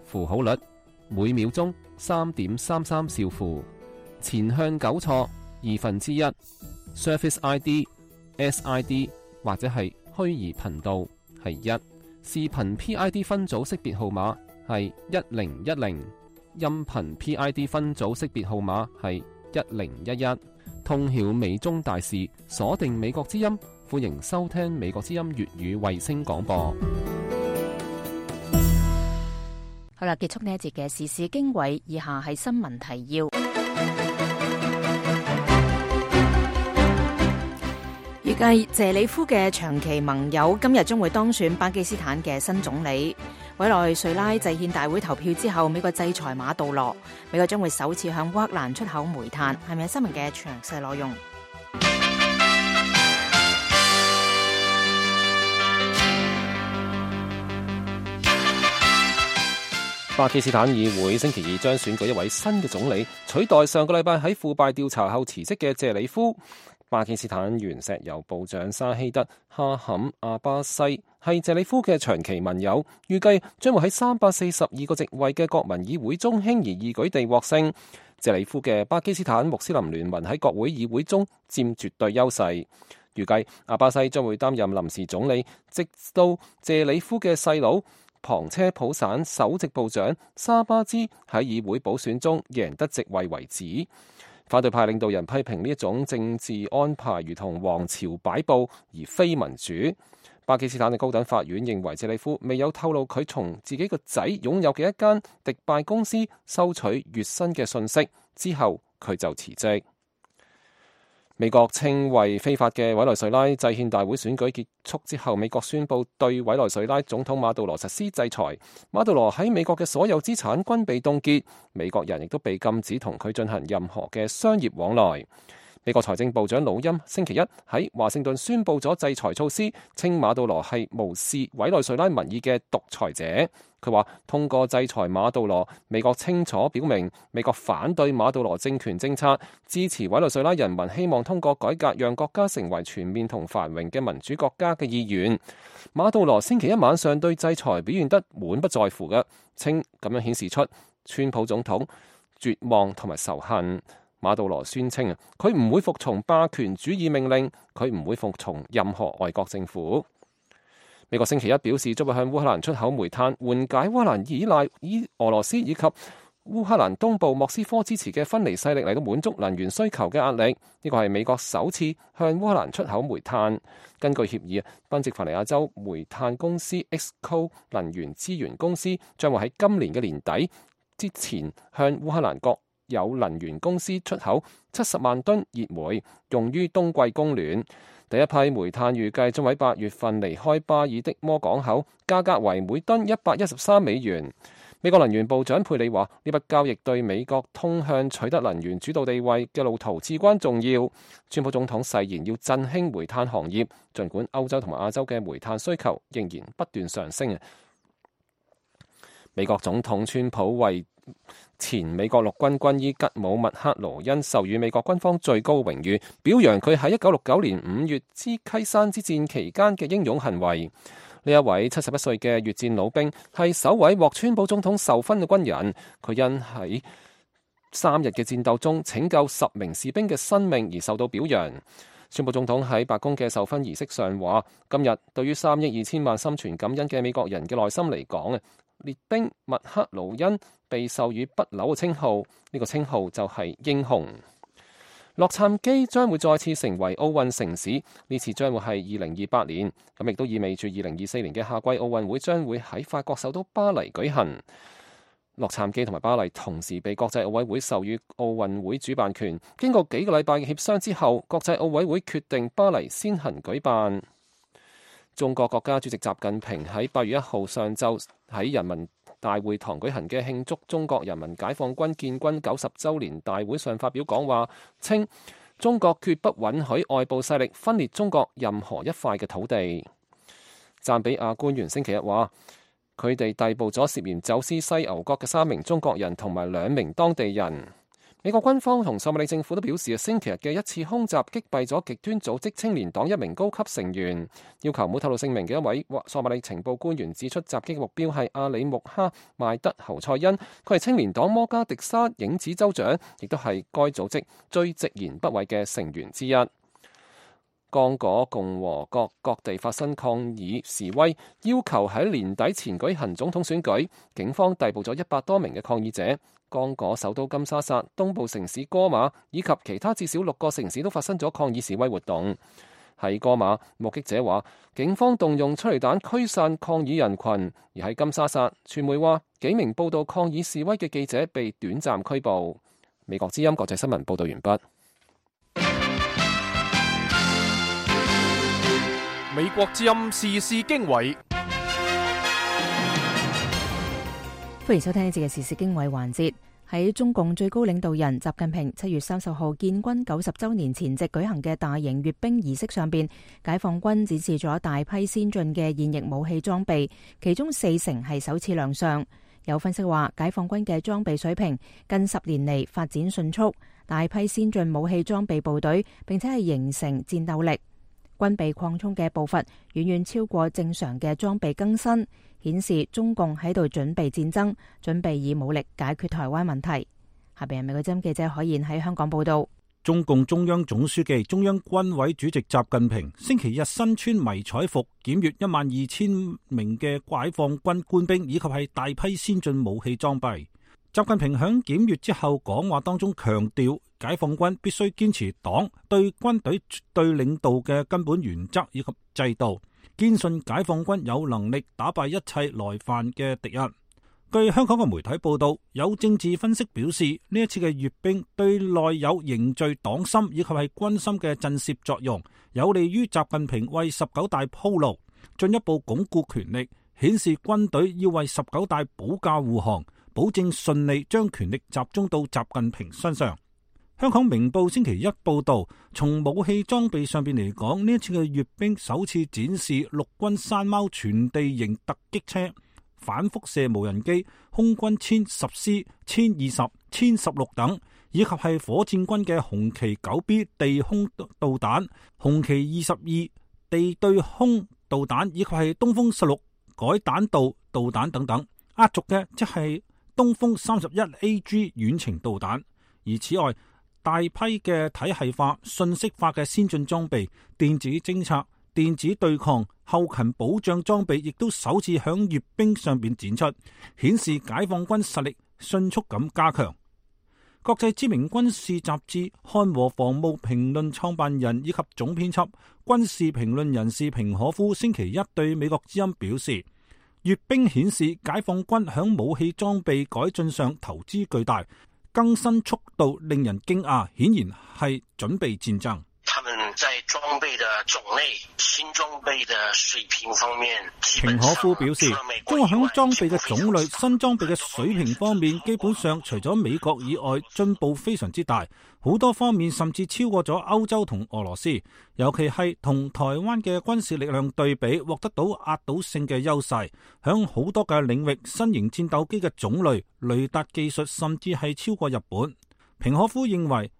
符號率每秒鐘三點三三兆符，前向糾錯二分之一 ，Surface I D、S I D 或者係虛擬頻道係一，視頻 P I D 分組識別號碼係一零一零，音頻 P I D 分組識別號碼係一零一一。通曉美中大事，鎖定美國之音，歡迎收聽美國之音粵語衛星廣播。好啦，結束呢一節嘅時事經緯，以下係新聞提要。預計謝里夫嘅長期盟友今日將會當選巴基斯坦嘅新總理。委內瑞拉制憲大會投票之後，美國制裁馬杜羅，美國將會首次向烏克蘭出口煤炭。係咪新聞嘅詳細內容？巴基斯坦議會星期二將選舉一位新嘅總理，取代上個禮拜喺腐敗調查後辭職嘅謝里夫。巴基斯坦原石油部長沙希德哈坎阿巴西係謝里夫嘅長期盟友，預計將會喺三百四十二個席位嘅國民議會中輕而易舉地獲勝。謝里夫嘅巴基斯坦穆斯林聯盟喺國會議會中佔絕對優勢。預計阿巴西將會擔任臨時總理，直到謝里夫嘅細佬旁車普省首席部長沙巴茲喺議會補選中贏得席位為止。反對派領導人批評呢一種政治安排如同王朝擺佈而非民主。巴基斯坦嘅高等法院認為謝里夫未有透露佢從自己個仔擁有嘅一間迪拜公司收取月薪嘅信息，之後佢就辭職。美國稱為非法嘅委內瑞拉制憲大會選舉結束之後，美國宣布對委內瑞拉總統馬杜羅實施制裁。馬杜羅喺美國嘅所有資產均被凍結，美國人亦都被禁止同佢進行任何嘅商業往來。美國財政部長魯欽星期一喺華盛頓宣布咗制裁措施，稱馬杜羅係無視委內瑞拉民意嘅獨裁者。佢話通過制裁馬杜羅，美國清楚表明美國反對馬杜羅政權政策，支持委內瑞拉人民希望通過改革讓國家成為全面同繁榮嘅民主國家嘅意願。馬杜羅星期一晚上對制裁表現得滿不在乎嘅，稱咁樣顯示出川普總統絕望同埋仇恨。馬杜羅宣稱啊，佢唔會服從霸權主義命令，佢唔會服從任何外國政府。美國星期一表示，將會向烏克蘭出口煤炭，緩解烏克蘭依賴以俄羅斯以及烏克蘭東部莫斯科支持嘅分離勢力嚟到滿足能源需求嘅壓力。呢個係美國首次向烏克蘭出口煤炭。根據協議啊，賓夕凡尼亞州煤炭公司 Exco 能源資源公司將會喺今年嘅年底之前向烏克蘭國有能源公司出口七十萬噸熱煤，用於冬季供暖。第一批煤炭預計將喺八月份離開巴爾的摩港口，價格為每噸一百一十三美元。美國能源部長佩里話：呢筆交易對美國通向取得能源主導地位嘅路途至關重要。川普總統誓言要振興煤炭行業，儘管歐洲同埋亞洲嘅煤炭需求仍然不斷上升。美國總統川普為前美國陸軍軍醫吉姆麥克羅恩授予美國軍方最高榮譽，表揚佢喺一九六九年五月之溪山之戰期間嘅英勇行為。呢一位七十一歲嘅越戰老兵係首位獲川普總統授勳嘅軍人，佢因喺三日嘅戰鬥中拯救十名士兵嘅生命而受到表揚。川普總統喺白宮嘅授勳儀式上話：今日對於三億二千萬心存感恩嘅美國人嘅內心嚟講啊，列兵麥克勞恩被授予不朽嘅稱號，呢、這個稱號就係英雄。洛杉磯將會再次成為奧運城市，呢次將會係二零二八年，咁亦都意味住二零二四年嘅夏季奧運會將會喺法國首都巴黎舉行。洛杉磯同埋巴黎同時被國際奧委會授予奧運會主辦權，經過幾個禮拜嘅協商之後，國際奧委會決定巴黎先行舉辦。中國國家主席習近平喺八月一號上晝喺人民大會堂舉行嘅慶祝中國人民解放軍建軍九十週年大會上發表講話，稱中國決不允許外部勢力分裂中國任何一塊嘅土地。贊比亞官員星期日話，佢哋逮捕咗涉嫌走私犀牛角嘅三名中國人同埋兩名當地人。美國軍方同索馬里政府都表示，星期日嘅一次空襲擊斃咗極端組織青年黨一名高級成員。要求唔好透露姓名嘅一位索馬里情報官員指出，襲擊嘅目標係阿里穆哈邁德侯賽恩，佢係青年黨摩加迪沙影子州長，亦都係該組織最直言不諱嘅成員之一。剛果共和國各地發生抗議示威，要求喺年底前舉行總統選舉。警方逮捕咗一百多名嘅抗議者。剛果首都金沙薩、東部城市哥馬以及其他至少六個城市都發生咗抗議示威活動。喺哥馬，目擊者話警方動用催淚彈驅散抗議人群；而喺金沙薩，傳媒話幾名報道抗議示威嘅記者被短暫拘捕。美國之音國際新聞報道完畢。美國之音時事經緯，歡迎收聽呢節嘅時事經緯環節。喺中共最高領導人習近平七月三十號建軍九十周年前夕舉行嘅大型閱兵儀式上邊，解放軍展示咗大批先進嘅現役武器裝備，其中四成係首次亮相。有分析話，解放軍嘅裝備水平近十年嚟發展迅速，大批先進武器裝備部隊，並且係形成戰鬥力。軍備擴充嘅步伐遠遠超過正常嘅裝備更新，顯示中共喺度準備戰爭，準備以武力解決台灣問題。下邊係美國之音記者海燕喺香港報道。中共中央總書記、中央軍委主席習近平星期日身穿迷彩服檢閱一萬二千名嘅解放軍官兵，以及係大批先進武器裝備。習近平響檢閱之後講話當中強調，解放軍必須堅持黨對軍隊絕對領導嘅根本原則以及制度，堅信解放軍有能力打敗一切來犯嘅敵人。據香港嘅媒體報道，有政治分析表示，呢一次嘅閱兵對內有凝聚黨心以及係軍心嘅震懾作用，有利於習近平為十九大鋪路，進一步鞏固權力，顯示軍隊要為十九大保駕護航，保證順利將權力集中到習近平身上。香港明報星期一報道，從武器裝備上邊嚟講，呢一次嘅閱兵首次展示陸軍山貓全地形突擊車、反輻射無人機、空軍殲十 C、殲二十、殲十六等，以及係火箭軍嘅紅旗九 B 地空導彈、紅旗二十二地對空導彈，以及係東風十六改彈道導彈等等。壓軸嘅即係東風三十一 A G 遠程導彈。而此外，大批嘅體系化、信息化嘅先進裝備、電子偵察、電子對抗、後勤保障裝備亦都首次響閱兵上邊展出，顯示解放軍實力迅速咁加強。國際知名軍事雜誌《漢和防務評論》創辦人以及總編輯、軍事評論人士平可夫星期一對美國之音表示，閱兵顯示解放軍響武器裝備改進上投資巨大，更新速度令人驚訝，顯然係準備戰爭。他們在裝備的種類、新裝備的水平方面，平可夫表示，中國響裝備嘅種類、新裝備嘅水平方面，基本上除咗美國以外，進步非常之大。好多方面甚至超過咗歐洲同俄羅斯，尤其係同台灣嘅軍事力量對比，獲得到壓倒性嘅優勢。響好多嘅領域，新型戰鬥機嘅種類、雷達技術甚至係超過日本。平可夫認為，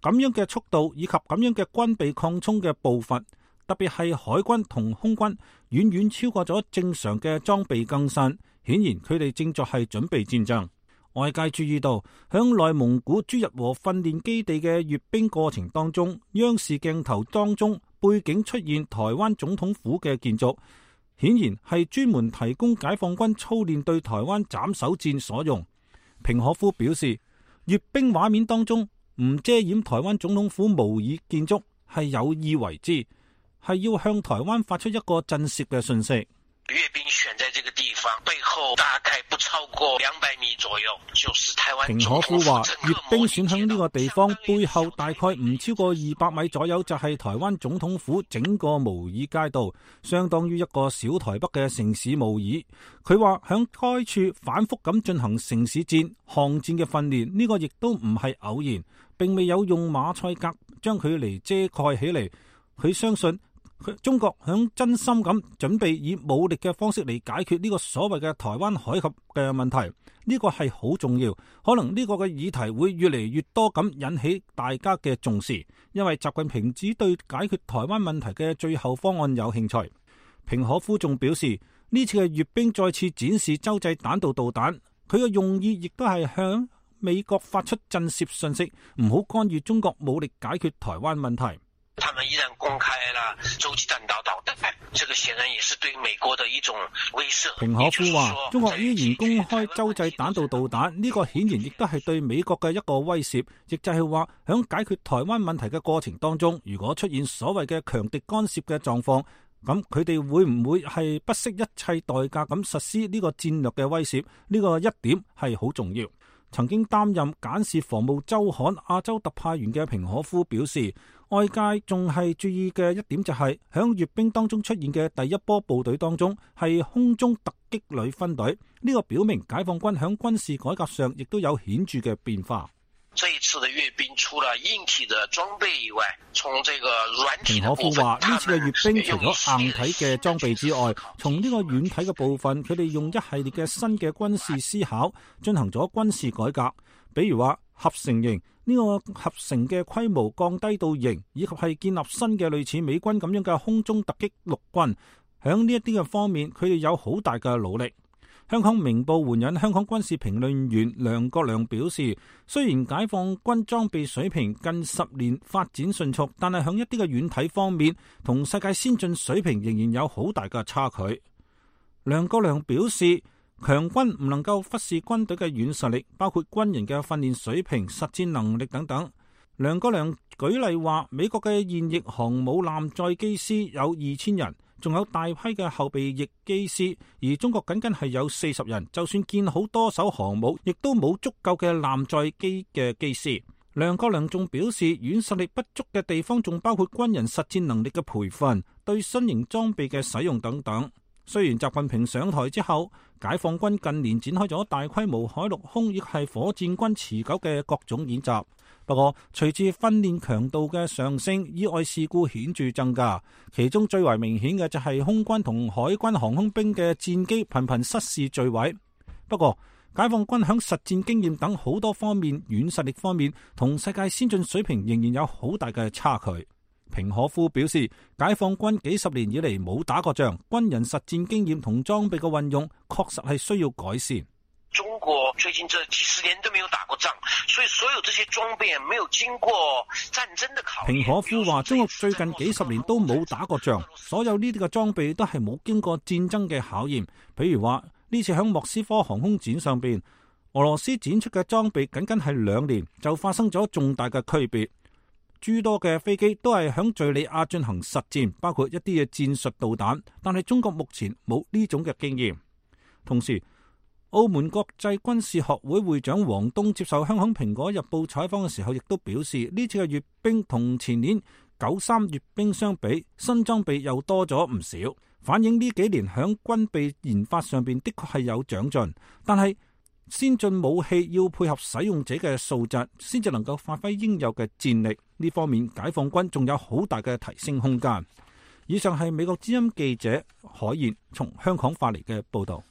咁樣嘅速度以及咁樣嘅軍備擴充嘅步伐，特別係海軍同空軍，遠遠超過咗正常嘅裝備更新。顯然佢哋正在係準備戰爭。外界注意到，響內蒙古朱日和訓練基地嘅閱兵過程當中，央視鏡頭當中背景出現台灣總統府嘅建築，顯然係專門提供解放軍操練對台灣斬首戰所用。平可夫表示，閱兵畫面當中唔遮掩台灣總統府模擬建築係有意為之，係要向台灣發出一個震懾嘅訊息。閱兵選在這個地方，背後大概不超過兩百米左右，就是台灣。平可夫話，閱兵選響呢個地方背後大概唔超過二百米左右，就係台灣總統府整個模擬街道，相當於一個小台北嘅城市模擬。佢話響該處反覆咁進行城市戰、巷戰嘅訓練，呢個亦都唔係偶然，並未有用馬賽格將佢嚟遮蓋起嚟。佢相信中國響真心咁準備以武力嘅方式嚟解決呢個所謂嘅台灣海峽嘅問題，呢個係好重要。可能呢個嘅議題會越嚟越多咁引起大家嘅重視，因為習近平只對解決台灣問題嘅最後方案有興趣。平可夫仲表示，呢次嘅閱兵再次展示洲際彈道導彈，佢嘅用意亦都係向美國發出震懾信息，唔好干預中國武力解決台灣問題。他們依然公開了洲際彈道導彈，這個顯然也是對美國的一種威懾。平可夫話，中國依然公開洲際彈道導彈，呢個顯然亦都係對美國嘅一個威懾，亦就係話響解決台灣問題嘅過程當中，如果出現所謂嘅強敵干涉嘅狀況，咁佢哋會唔會係不惜一切代價咁實施呢個戰略嘅威懾？呢個一點係好重要。曾經擔任簡氏防務週刊亞洲特派員嘅平可夫表示，外界仲係注意嘅一點就係響閱兵當中出現嘅第一波部隊當中係空中突擊旅分隊，呢個表明解放軍響軍事改革上亦都有顯著嘅變化。這一次的閱兵除了硬體的裝備以外，從這個軟體的部分，平可夫話呢次嘅閱兵除咗硬體嘅裝備之外，從呢個軟體嘅部分，佢哋用一系列嘅新嘅軍事思考進行咗軍事改革，比如話合成營，呢個合成嘅規模降低到型，以及係建立新嘅類似美軍咁樣嘅空中突擊陸軍，響呢一啲嘅方面，佢哋有好大嘅努力。香港明報援引香港軍事評論員梁國良表示，雖然解放軍裝備水平近十年發展迅速，但係響一啲嘅軟體方面，同世界先進水平仍然有好大嘅差距。梁國良表示，強軍唔能夠忽視軍隊嘅軟實力，包括軍人嘅訓練水平、實戰能力等等。梁國良舉例話，美國嘅現役航母艦載機師有二千人。仲有大批嘅後備役機師，而中國僅僅係有四十人，就算建好多艘航母，亦都冇足夠嘅艦載機嘅機師。梁國良仲表示，軟實力不足嘅地方仲包括軍人實戰能力嘅培訓、對新型裝備嘅使用等等。雖然習近平上台之後，解放軍近年展開咗大規模海陸空亦係火箭軍持久嘅各種演習。不過，隨住訓練強度嘅上升，意外事故顯著增加。其中最為明顯嘅就係空軍同海軍航空兵嘅戰機頻頻失事墜毀。不過，解放軍響實戰經驗等好多方面、軟實力方面，同世界先進水平仍然有好大嘅差距。平可夫表示，解放軍幾十年以嚟冇打過仗，軍人實戰經驗同裝備嘅運用確實係需要改善。中國最近這幾十年都沒有打過仗，所以所有這些裝備沒有經過戰爭的考驗。平可夫話，中國最近幾十年都冇打過仗，所有呢啲嘅裝備都係冇經過戰爭嘅考驗。比如話呢次響莫斯科航空展上邊，俄羅斯展出嘅裝備僅僅係兩年就發生咗重大嘅區別。諸多嘅飛機都係響敘利亞進行實戰，包括一啲嘅戰術導彈，但係中國目前冇呢種嘅經驗。同時，澳門國際軍事學會會長王東接受香港蘋果日報採訪嘅時候，亦都表示呢次嘅閱兵同前年九三閱兵相比，新裝備又多咗唔少，反映呢幾年響軍備研發上邊的確係有長進。但係先進武器要配合使用者嘅素質，先至能夠發揮應有嘅戰力。呢方面解放軍仲有好大嘅提升空間。以上係美國之音記者海燕從香港發嚟嘅報道。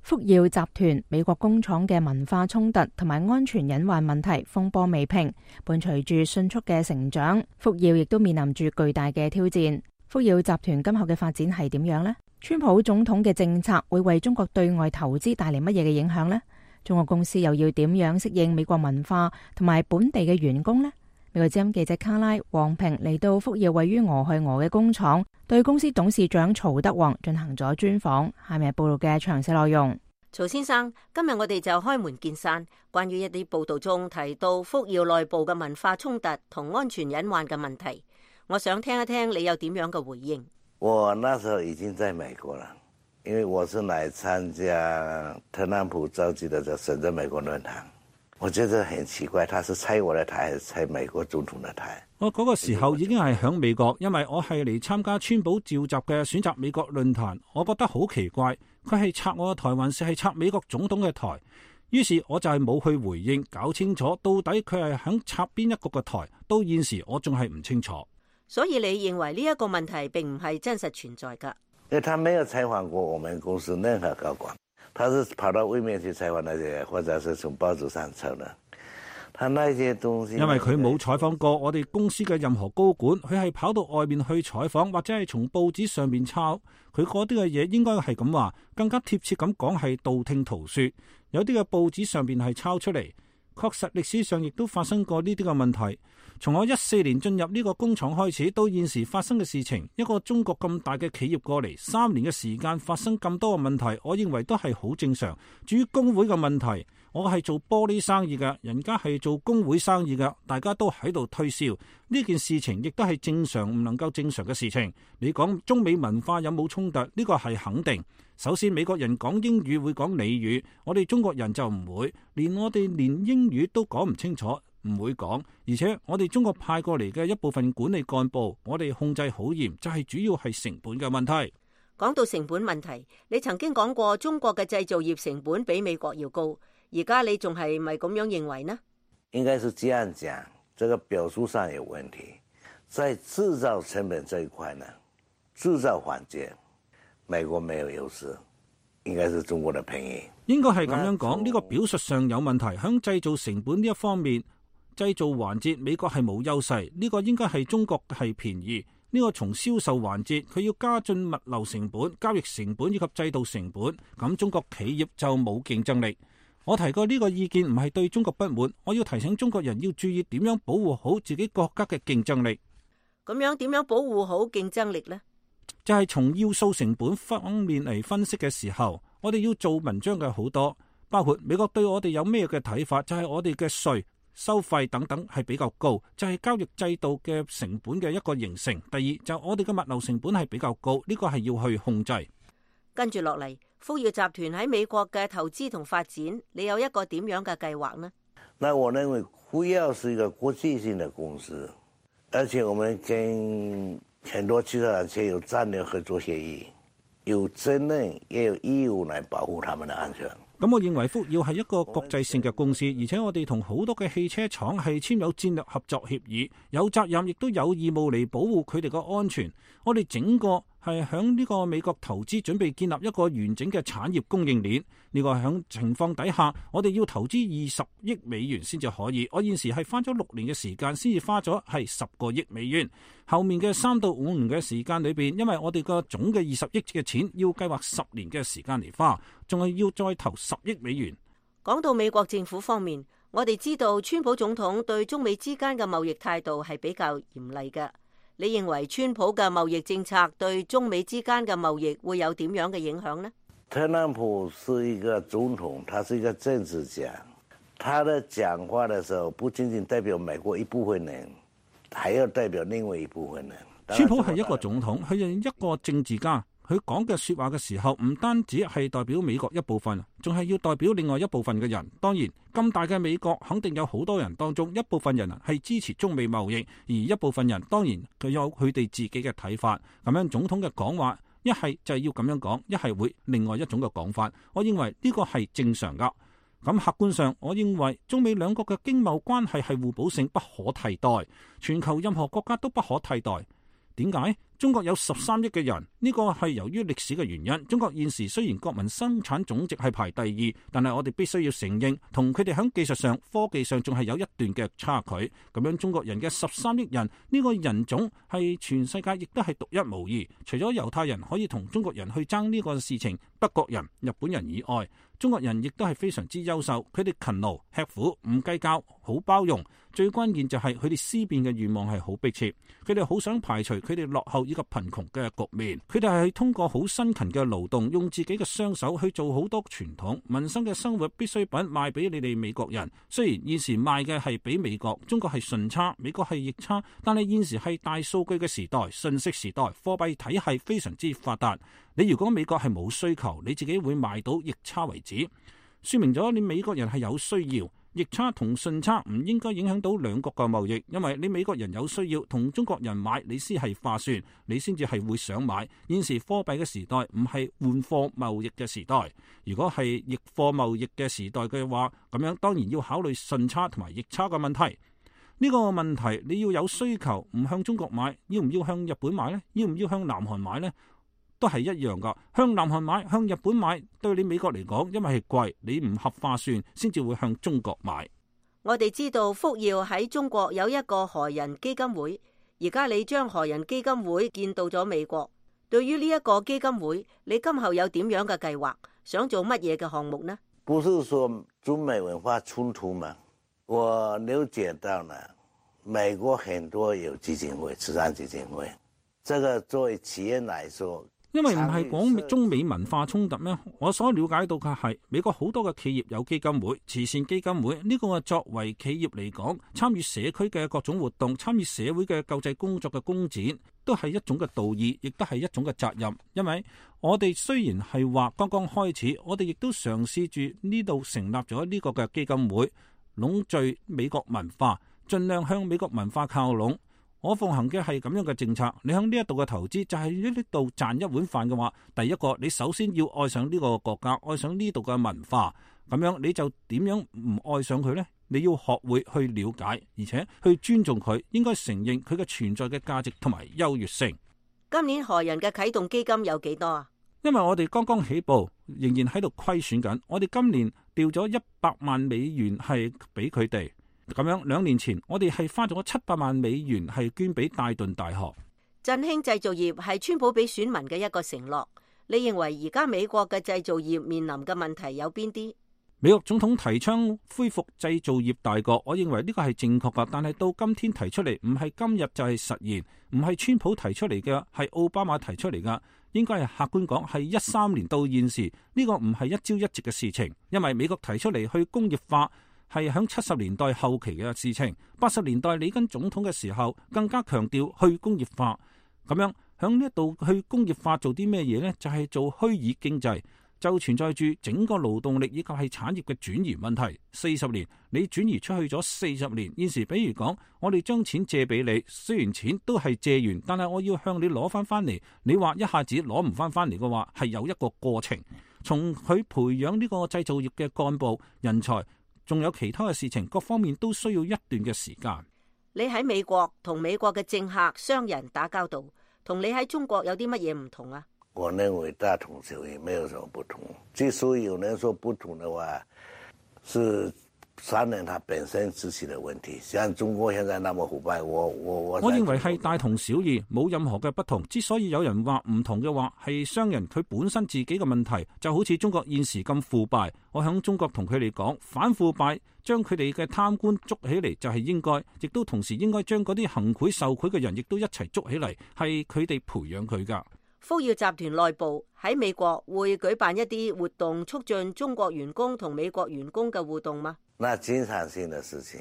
福耀集團美國工廠嘅文化衝突同埋安全隱患問題風波未平，伴隨住迅速嘅成長，福耀亦都面臨住巨大嘅挑戰。福耀集團今後嘅發展係點樣呢？川普總統嘅政策會為中國對外投資帶嚟乜嘢嘅影響呢？中國公司又要點樣適應美國文化同埋本地嘅員工呢？美國之音記者卡拉黃平嚟到福耀位於俄亥俄嘅工廠，對公司董事長曹德旺進行咗專訪。下面係報道嘅詳細內容。曹先生，今日我哋就開門見山，關於一啲報道中提到福耀內部嘅文化衝突同安全隱患嘅問題，我想聽一聽你有點樣嘅回應。我那時候已經在美國了，因為我是來參加特朗普召集的這深圳美國論壇。我覺得很奇怪，他是拆我的台還是拆美國總統的台？我嗰個時候已經係響美國，因為我係嚟參加川普召集嘅選擇美國論壇。我覺得好奇怪，佢係拆我嘅台還是係拆美國總統嘅台？於是我就係冇去回應，搞清楚到底佢係響插邊一個嘅台。到現時我仲係唔清楚。所以你認為呢一個問題並唔係真實存在㗎？因為他沒有採訪過我們公司任何高管，他是跑到外面去採訪那些，或者是從報紙上抄的。他那些東西，因為佢冇採訪過我哋公司嘅任何高管，佢係跑到外面去採訪，或者係從報紙上面抄。佢嗰啲嘅嘢應該係咁話，更加貼切咁講係道聽途說。有啲嘅報紙上面係抄出嚟，確實歷史上亦都發生過呢啲嘅問題。從我一四年進入呢個工廠開始，到現時發生嘅事情，一個中國咁大嘅企業過嚟三年嘅時間發生咁多嘅問題，我認為都係好正常。至於工會嘅問題，我係做玻璃生意嘅，人家係做工會生意嘅，大家都喺度推銷呢件事情，亦都係正常唔能夠正常嘅事情。你講中美文化有冇衝突？呢個係肯定。首先美國人講英語會講俚語，我哋中國人就唔會，連我哋連英語都講唔清楚，唔會講。而且我哋中國派過嚟嘅一部分管理幹部，我哋控制好嚴，就係主要係成本嘅問題。講到成本問題，你曾經講過中國嘅製造業成本比美國要高，而家你仲係咪咁樣認為呢？應該是這樣講，這個表述上有問題。在製造成本這一塊呢，製造環節美國沒有優勢，應該是中國的便宜。應該係咁樣講，呢個表述上有問題。響製造成本呢一方面，製造環節美國係冇優勢，呢個應該係中國係便宜。呢個從銷售環節，佢要加進物流成本、交易成本以及制度成本，咁中國企業就冇競爭力。我提過呢個意見唔係對中國不滿，我要提醒中國人要注意點樣保護好自己國家嘅競爭力。咁樣點樣保護好競爭力呢？就係從要素成本方面嚟分析嘅時候，我哋要做文章嘅好多，包括美國對我哋有咩嘅睇法，就係我哋嘅稅、收費等等係比較高，就係交易制度嘅成本嘅一個形成。第二就我哋嘅物流成本係比較高，呢個係要去控制。跟住落嚟，福耀集團喺美國嘅投資同發展，你有一個點樣嘅計劃呢？那我認為福耀是一個國際性的公司，而且我們跟很多汽車廠有戰略合作協議，有責任也有義務來保護他們的安全。咁我認為福耀係一個國際性嘅公司，而且我哋同好多嘅汽車廠係簽有戰略合作協議，有責任亦都有義務嚟保護佢哋嘅安全。我哋整個係響呢個美國投資，準備建立一個完整嘅產業供應鏈。呢個響情況底下，我哋要投資二十億美元先至可以。我現時係花咗六年嘅時間，先至花咗係十個億美元。後面嘅三到五年嘅時間裏邊，因為我哋個總嘅二十億嘅錢要計劃十年嘅時間嚟花，仲係要再投十億美元。講到美國政府方面，我哋知道川普總統對中美之間嘅貿易態度係比較嚴厲嘅。你認為川普嘅貿易政策對中美之間嘅貿易會有點樣嘅影響呢？特朗普是一個總統，他是一個政治家，他的講話的時候不僅僅代表美國一部分人，還要代表另外一部分人。川普係一個總統，佢係一個政治家。佢講嘅說話嘅時候，唔單止係代表美國一部分，仲係要代表另外一部分嘅人。當然，咁大嘅美國肯定有好多人當中，一部分人係支持中美貿易，而一部分人當然佢有佢哋自己嘅睇法。咁樣總統嘅講話，一係就係要咁樣講，一係會另外一種嘅講法。我認為呢個係正常噶。咁客觀上，我認為中美兩國嘅經貿關係係互補性不可替代，全球任何國家都不可替代。點解？中國有十三億嘅人，呢個係由於歷史嘅原因。中國現時雖然國民生產總值係排第二，但係我哋必須要承認，同佢哋喺技術上、科技上仲係有一段嘅差距。咁樣中國人嘅十三億人，呢個人種係全世界亦都係獨一無二。除咗猶太人可以同中國人去爭呢個事情，德國人、日本人以外，中國人亦都係非常之優秀。佢哋勤勞、吃苦、唔計較、好包容。最關鍵就係佢哋思辨嘅願望係好迫切，佢哋好想排除佢哋落後以及貧窮嘅局面。佢哋係通過好辛勤嘅勞動，用自己嘅雙手去做好多傳統民生嘅生活必需品賣俾你哋美國人。雖然現時賣嘅係比美國，中國係順差，美國係逆差，但係現時係大數據嘅時代、信息時代，貨幣體系非常之發達。你如果美國係冇需求，你自己會賣到逆差為止，說明咗你美國人係有需要。逆差同順差唔應該影響到兩國嘅貿易，因為你美國人有需要同中國人買，你先係划算，你先至係會想買。現時貨幣嘅時代唔係換貨貿易嘅時代，如果係逆貨貿易嘅時代嘅話，咁樣當然要考慮順差同埋逆差嘅問題。呢個問題你要有需求，唔向中國買，要唔要向日本買呢？要唔要向南韓買呢？都係一樣噶，向南韓買、向日本買，對你美國嚟講，因為係貴，你唔合划算，先至會向中國買。我哋知道福耀喺中國有一個何人基金會，而家你將何人基金會建到咗美國。對於呢一個基金會，你今後有點樣嘅計劃？想做乜嘢嘅項目呢？不是說中美文化衝突嗎？我了解到呢，美國很多有基金會、慈善基金會，這個作為企業來說。因為唔係講中美文化衝突咩？我所了解到嘅係美國好多嘅企業有基金會、慈善基金會，呢個作為企業嚟講，參與社區嘅各種活動、參與社會嘅救濟工作嘅工展，都係一種嘅道義，亦都係一種嘅責任。因為我哋雖然係話剛剛開始，我哋亦都嘗試住呢度成立咗呢個嘅基金會，籠聚美國文化，盡量向美國文化靠攏。我奉行嘅係咁樣嘅政策，你響呢一度嘅投資就係呢度賺一碗飯嘅話，第一個你首先要愛上呢個國家，愛上呢度嘅文化，咁樣你就點樣唔愛上佢呢？你要學會去了解，而且去尊重佢，應該承認佢嘅存在嘅價值同埋優越性。今年何人嘅啟動基金有幾多啊？因為我哋剛剛起步，仍然喺度虧損緊，我哋今年調咗一百萬美元係俾佢哋。咁樣兩年前我哋係花咗七百萬美元係捐俾戴頓大學。振興製造業係川普俾選民嘅一個承諾。你認為而家美國嘅製造業面臨嘅問題有邊啲？美國總統提倡恢復製造業大國，我認為呢個係正確噶，但係到今天提出嚟，唔係今日就係實現，唔係川普提出嚟嘅，係奧巴馬提出嚟噶，應該係客觀講係一三年到現時，呢個唔係一朝一夕嘅事情，因為美國提出嚟去工業化係響七十年代後期嘅事情，八十年代里根總統嘅時候更加強調去工業化，咁樣響呢一度去工業化做啲咩嘢呢？就係做虛擬經濟，就存在住整個勞動力以及係產業嘅轉移問題。四十年你轉移出去咗四十年，現時比如講我哋將錢借俾你，雖然錢都係借完，但係我要向你攞翻翻嚟，你話一下子攞唔翻翻嚟嘅話，係有一個過程，從佢培養呢個製造業嘅幹部人才，仲有其他嘅事情，各方面都需要一段嘅時間。你喺美國同美國嘅政客、商人打交道，同你喺中國有啲乜嘢唔同啊？我認為大同小異，沒有什麼不同。之所以有人說不同的話，是商人他本身自己的問題。像中國現在那麼腐敗，我我我我認為係大同小異，冇任何嘅不同。之所以有人話唔同嘅話，係商人佢本身自己嘅問題，就好似中國現時咁腐敗。我響中國同佢哋講，反腐敗，將佢哋嘅貪官捉起嚟就係應該，亦都同時應該將嗰啲行賄受賄嘅人亦都一齊捉起嚟，係佢哋培養佢噶。福耀集團內部喺美國會舉辦一啲活動，促進中國員工同美國員工嘅互動嗎？那經常性的事情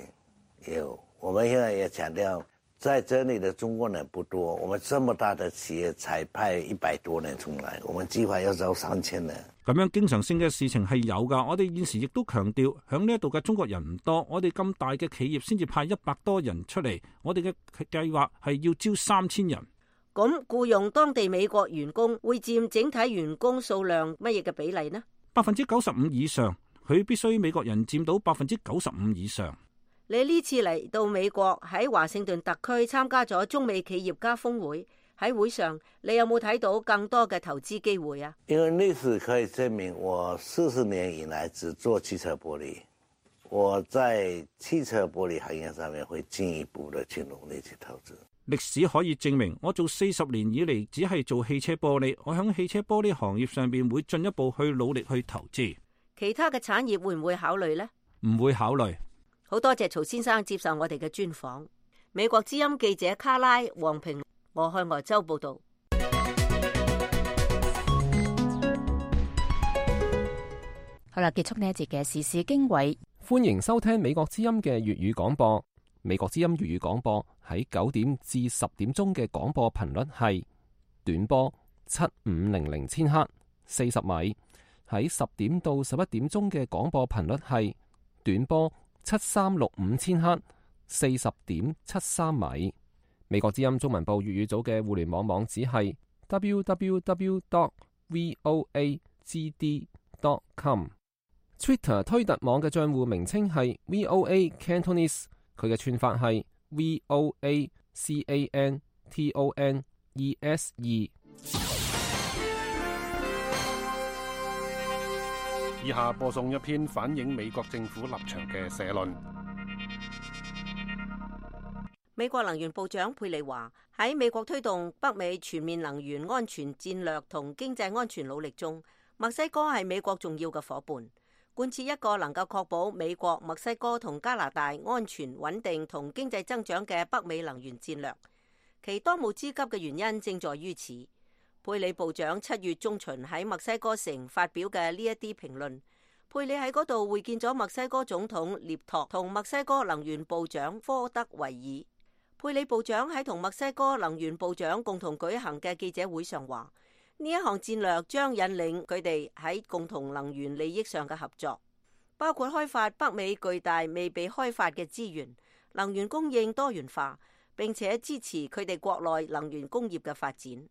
有，我們現在也強調，在這裏的中國人不多，我們這麼大的企業才派一百多人出來，我們計劃要招三千人。咁樣經常性嘅事情係有噶，我哋現時亦都強調，響呢一度嘅中國人唔多，我哋咁大嘅企業先至派一百多人出嚟，我哋嘅計劃係要招三千人。咁僱用當地美國員工會佔整體員工數量乜嘢嘅比例呢？百分之九十五以上，佢必須美國人佔到百分之九十五以上。你呢次嚟到美國喺華盛頓特區參加咗中美企業家峰會，喺會上你有冇睇到更多嘅投資機會啊？因為歷史可以證明，我四十年以來只做汽車玻璃，我在汽車玻璃行業上面會進一步的去努力去投資。歷史可以證明，我做四十年以嚟只係做汽車玻璃，我響汽車玻璃行業上邊會進一步去努力去投資。其他嘅產業會唔會考慮呢？唔會考慮。好多謝曹先生接受我哋嘅專訪。美國之音記者卡拉黃平，俄亥俄州報道。好啦，結束呢一節嘅時事經緯。歡迎收聽美國之音嘅粵語廣播。美國之音粵語廣播喺九點至十點鐘嘅廣播頻率係短波七五零零千赫四十米，喺十點到十一點鐘嘅廣播頻率係短波七三六五千克，四十點七三米。美國之音中文部粵語組嘅互聯網網址係 double-u double-u double-u dot voa g d dot com。Twitter 推特網嘅賬戶名稱係 V O A Cantonese， 佢嘅串法係 V O A C A N T O N E S E。以下播送一篇反映美國政府立場嘅社論。美國能源部長佩里話：喺美國推動北美全面能源安全戰略同經濟安全努力中，墨西哥係美國重要嘅夥伴，貫徹一個能夠確保美國、墨西哥同加拿大安全穩定同經濟增長嘅北美能源戰略。其當務之急嘅原因正在於此。佩里部長七月中旬喺墨西哥城發表嘅呢一啲評論，佩里喺嗰度會見咗墨西哥總統涅托同墨西哥能源部長科德維爾。佩里部長喺同墨西哥能源部長共同舉行嘅記者會上話，呢一項戰略將引領佢哋喺共同能源利益上嘅合作，包括開發北美巨大未被開發嘅資源、能源供應多元化，並且支持佢哋國內能源工業嘅發展。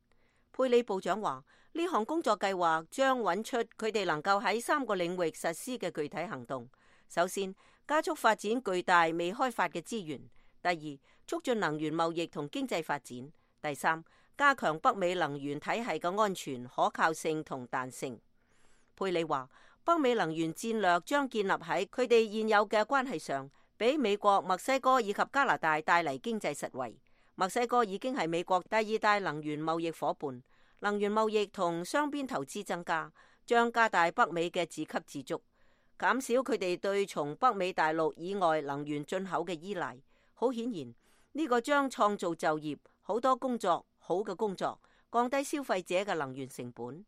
佩里部長話，呢項工作計劃將揾出佢哋能夠喺三個領域實施嘅具體行動。首先，加速發展巨大未開發嘅資源；第二，促進能源貿易同經濟發展；第三，加強北美能源體系嘅安全、可靠性同彈性。佩里話，北美能源戰略將建立喺佢哋現有嘅關係上，俾美國、墨西哥以及加拿大帶嚟經濟實惠。墨西哥已經係美國第二大能源貿易夥伴，能源貿易同雙邊投資增加，將加大北美嘅自給自足，減少佢哋對從北美大陸以外能源進口嘅依賴。好顯然，呢個將創造就業、好多工作、好嘅工作，降低消費者嘅能源成本。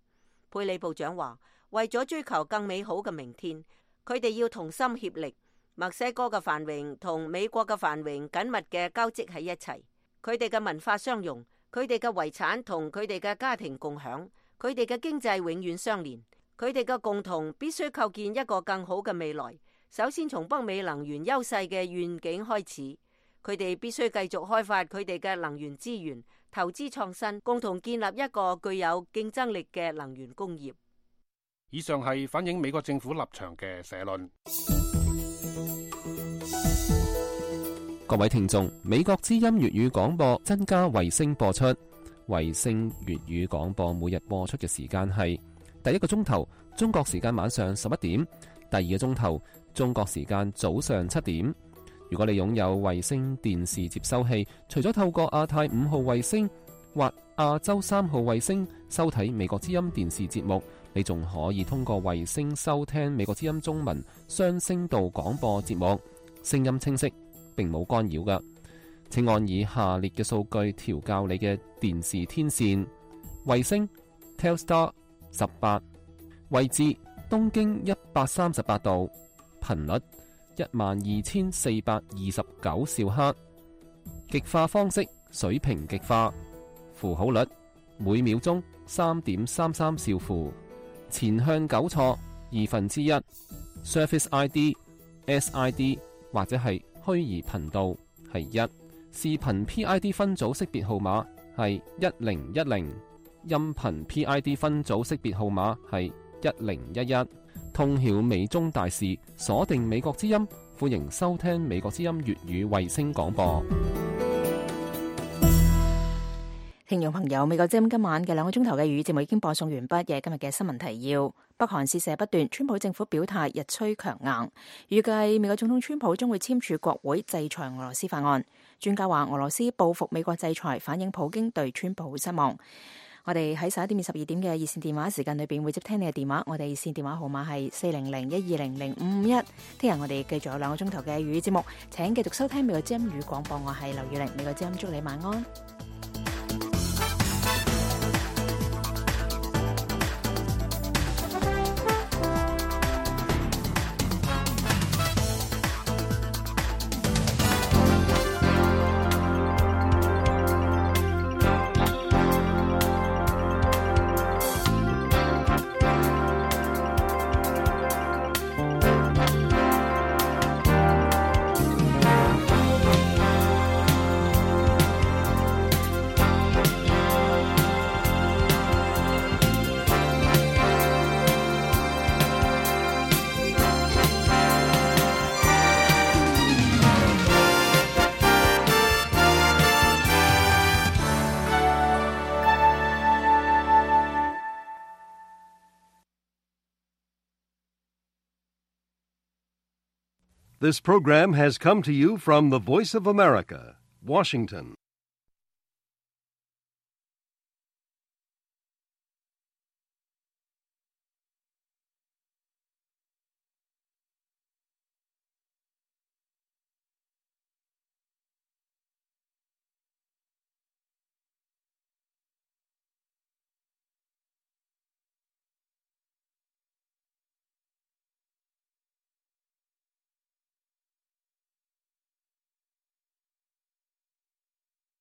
佩里部長話，為咗追求更美好嘅明天，佢哋要同心協力。墨西哥嘅繁榮同美國嘅繁榮緊密嘅交織喺一齊。佢哋嘅文化相融，佢哋嘅遺產同佢哋嘅家庭共享，佢哋嘅經濟永遠相連，佢哋嘅共同必須構建一個更好嘅未來。首先從北美能源優勢嘅願景開始，佢哋必須繼續開發佢哋嘅能源資源，投資創新，共同建立一個具有競爭力嘅能源工業。以上係反映美國政府立場嘅社論。各位聽眾，美國之音粵語廣播增加衛星播出，衛星粵語廣播每日播出嘅時間係第一個鐘頭中國時間晚上十一點，第二個鐘頭中國時間早上七點。如果你擁有衛星電視接收器，除咗透過亞太五號衛星或亞洲三號衛星收睇美國之音電視節目，你仲可以通過衛星收聽美國之音中文雙聲道廣播節目，聲音清晰，並冇干擾㗎。請按以下列嘅數據調校你嘅電視天線：衛星 Telstar 十八，位置東經一百三十八度，頻率一萬二千四百二十九兆赫，極化方式水平極化，符號率每秒鐘三點三三兆符，前向糾錯二分之一 ，Service I D S I D 或者係虛擬頻道係一，視頻 P I D 分組識別號碼係一零一零，音頻 P I D 分組識別號碼係一零一一。通曉美中大事，鎖定美國之音，歡迎收聽美國之音粵語衛星廣播。聽眾朋友，美國之音今晚嘅兩個鐘頭嘅粵語節目已經播送完畢嘅。今日嘅新聞提要：北韓試射不斷，川普政府表態日趨強硬，預計美國總統川普將會簽署國會制裁俄羅斯法案。專家話俄羅斯報復美國制裁，反映普京對川普失望。我哋喺十一點至十二點嘅熱線電話時間裏邊會接聽你嘅電話，我哋熱線電話號碼係四零零一二零零五五一。聽日我哋繼續有兩個鐘頭嘅粵語節目，請繼續收聽美國之音語廣播，我係劉月玲，美國之音祝你晚安。This program has come to you from the Voice of America, Washington.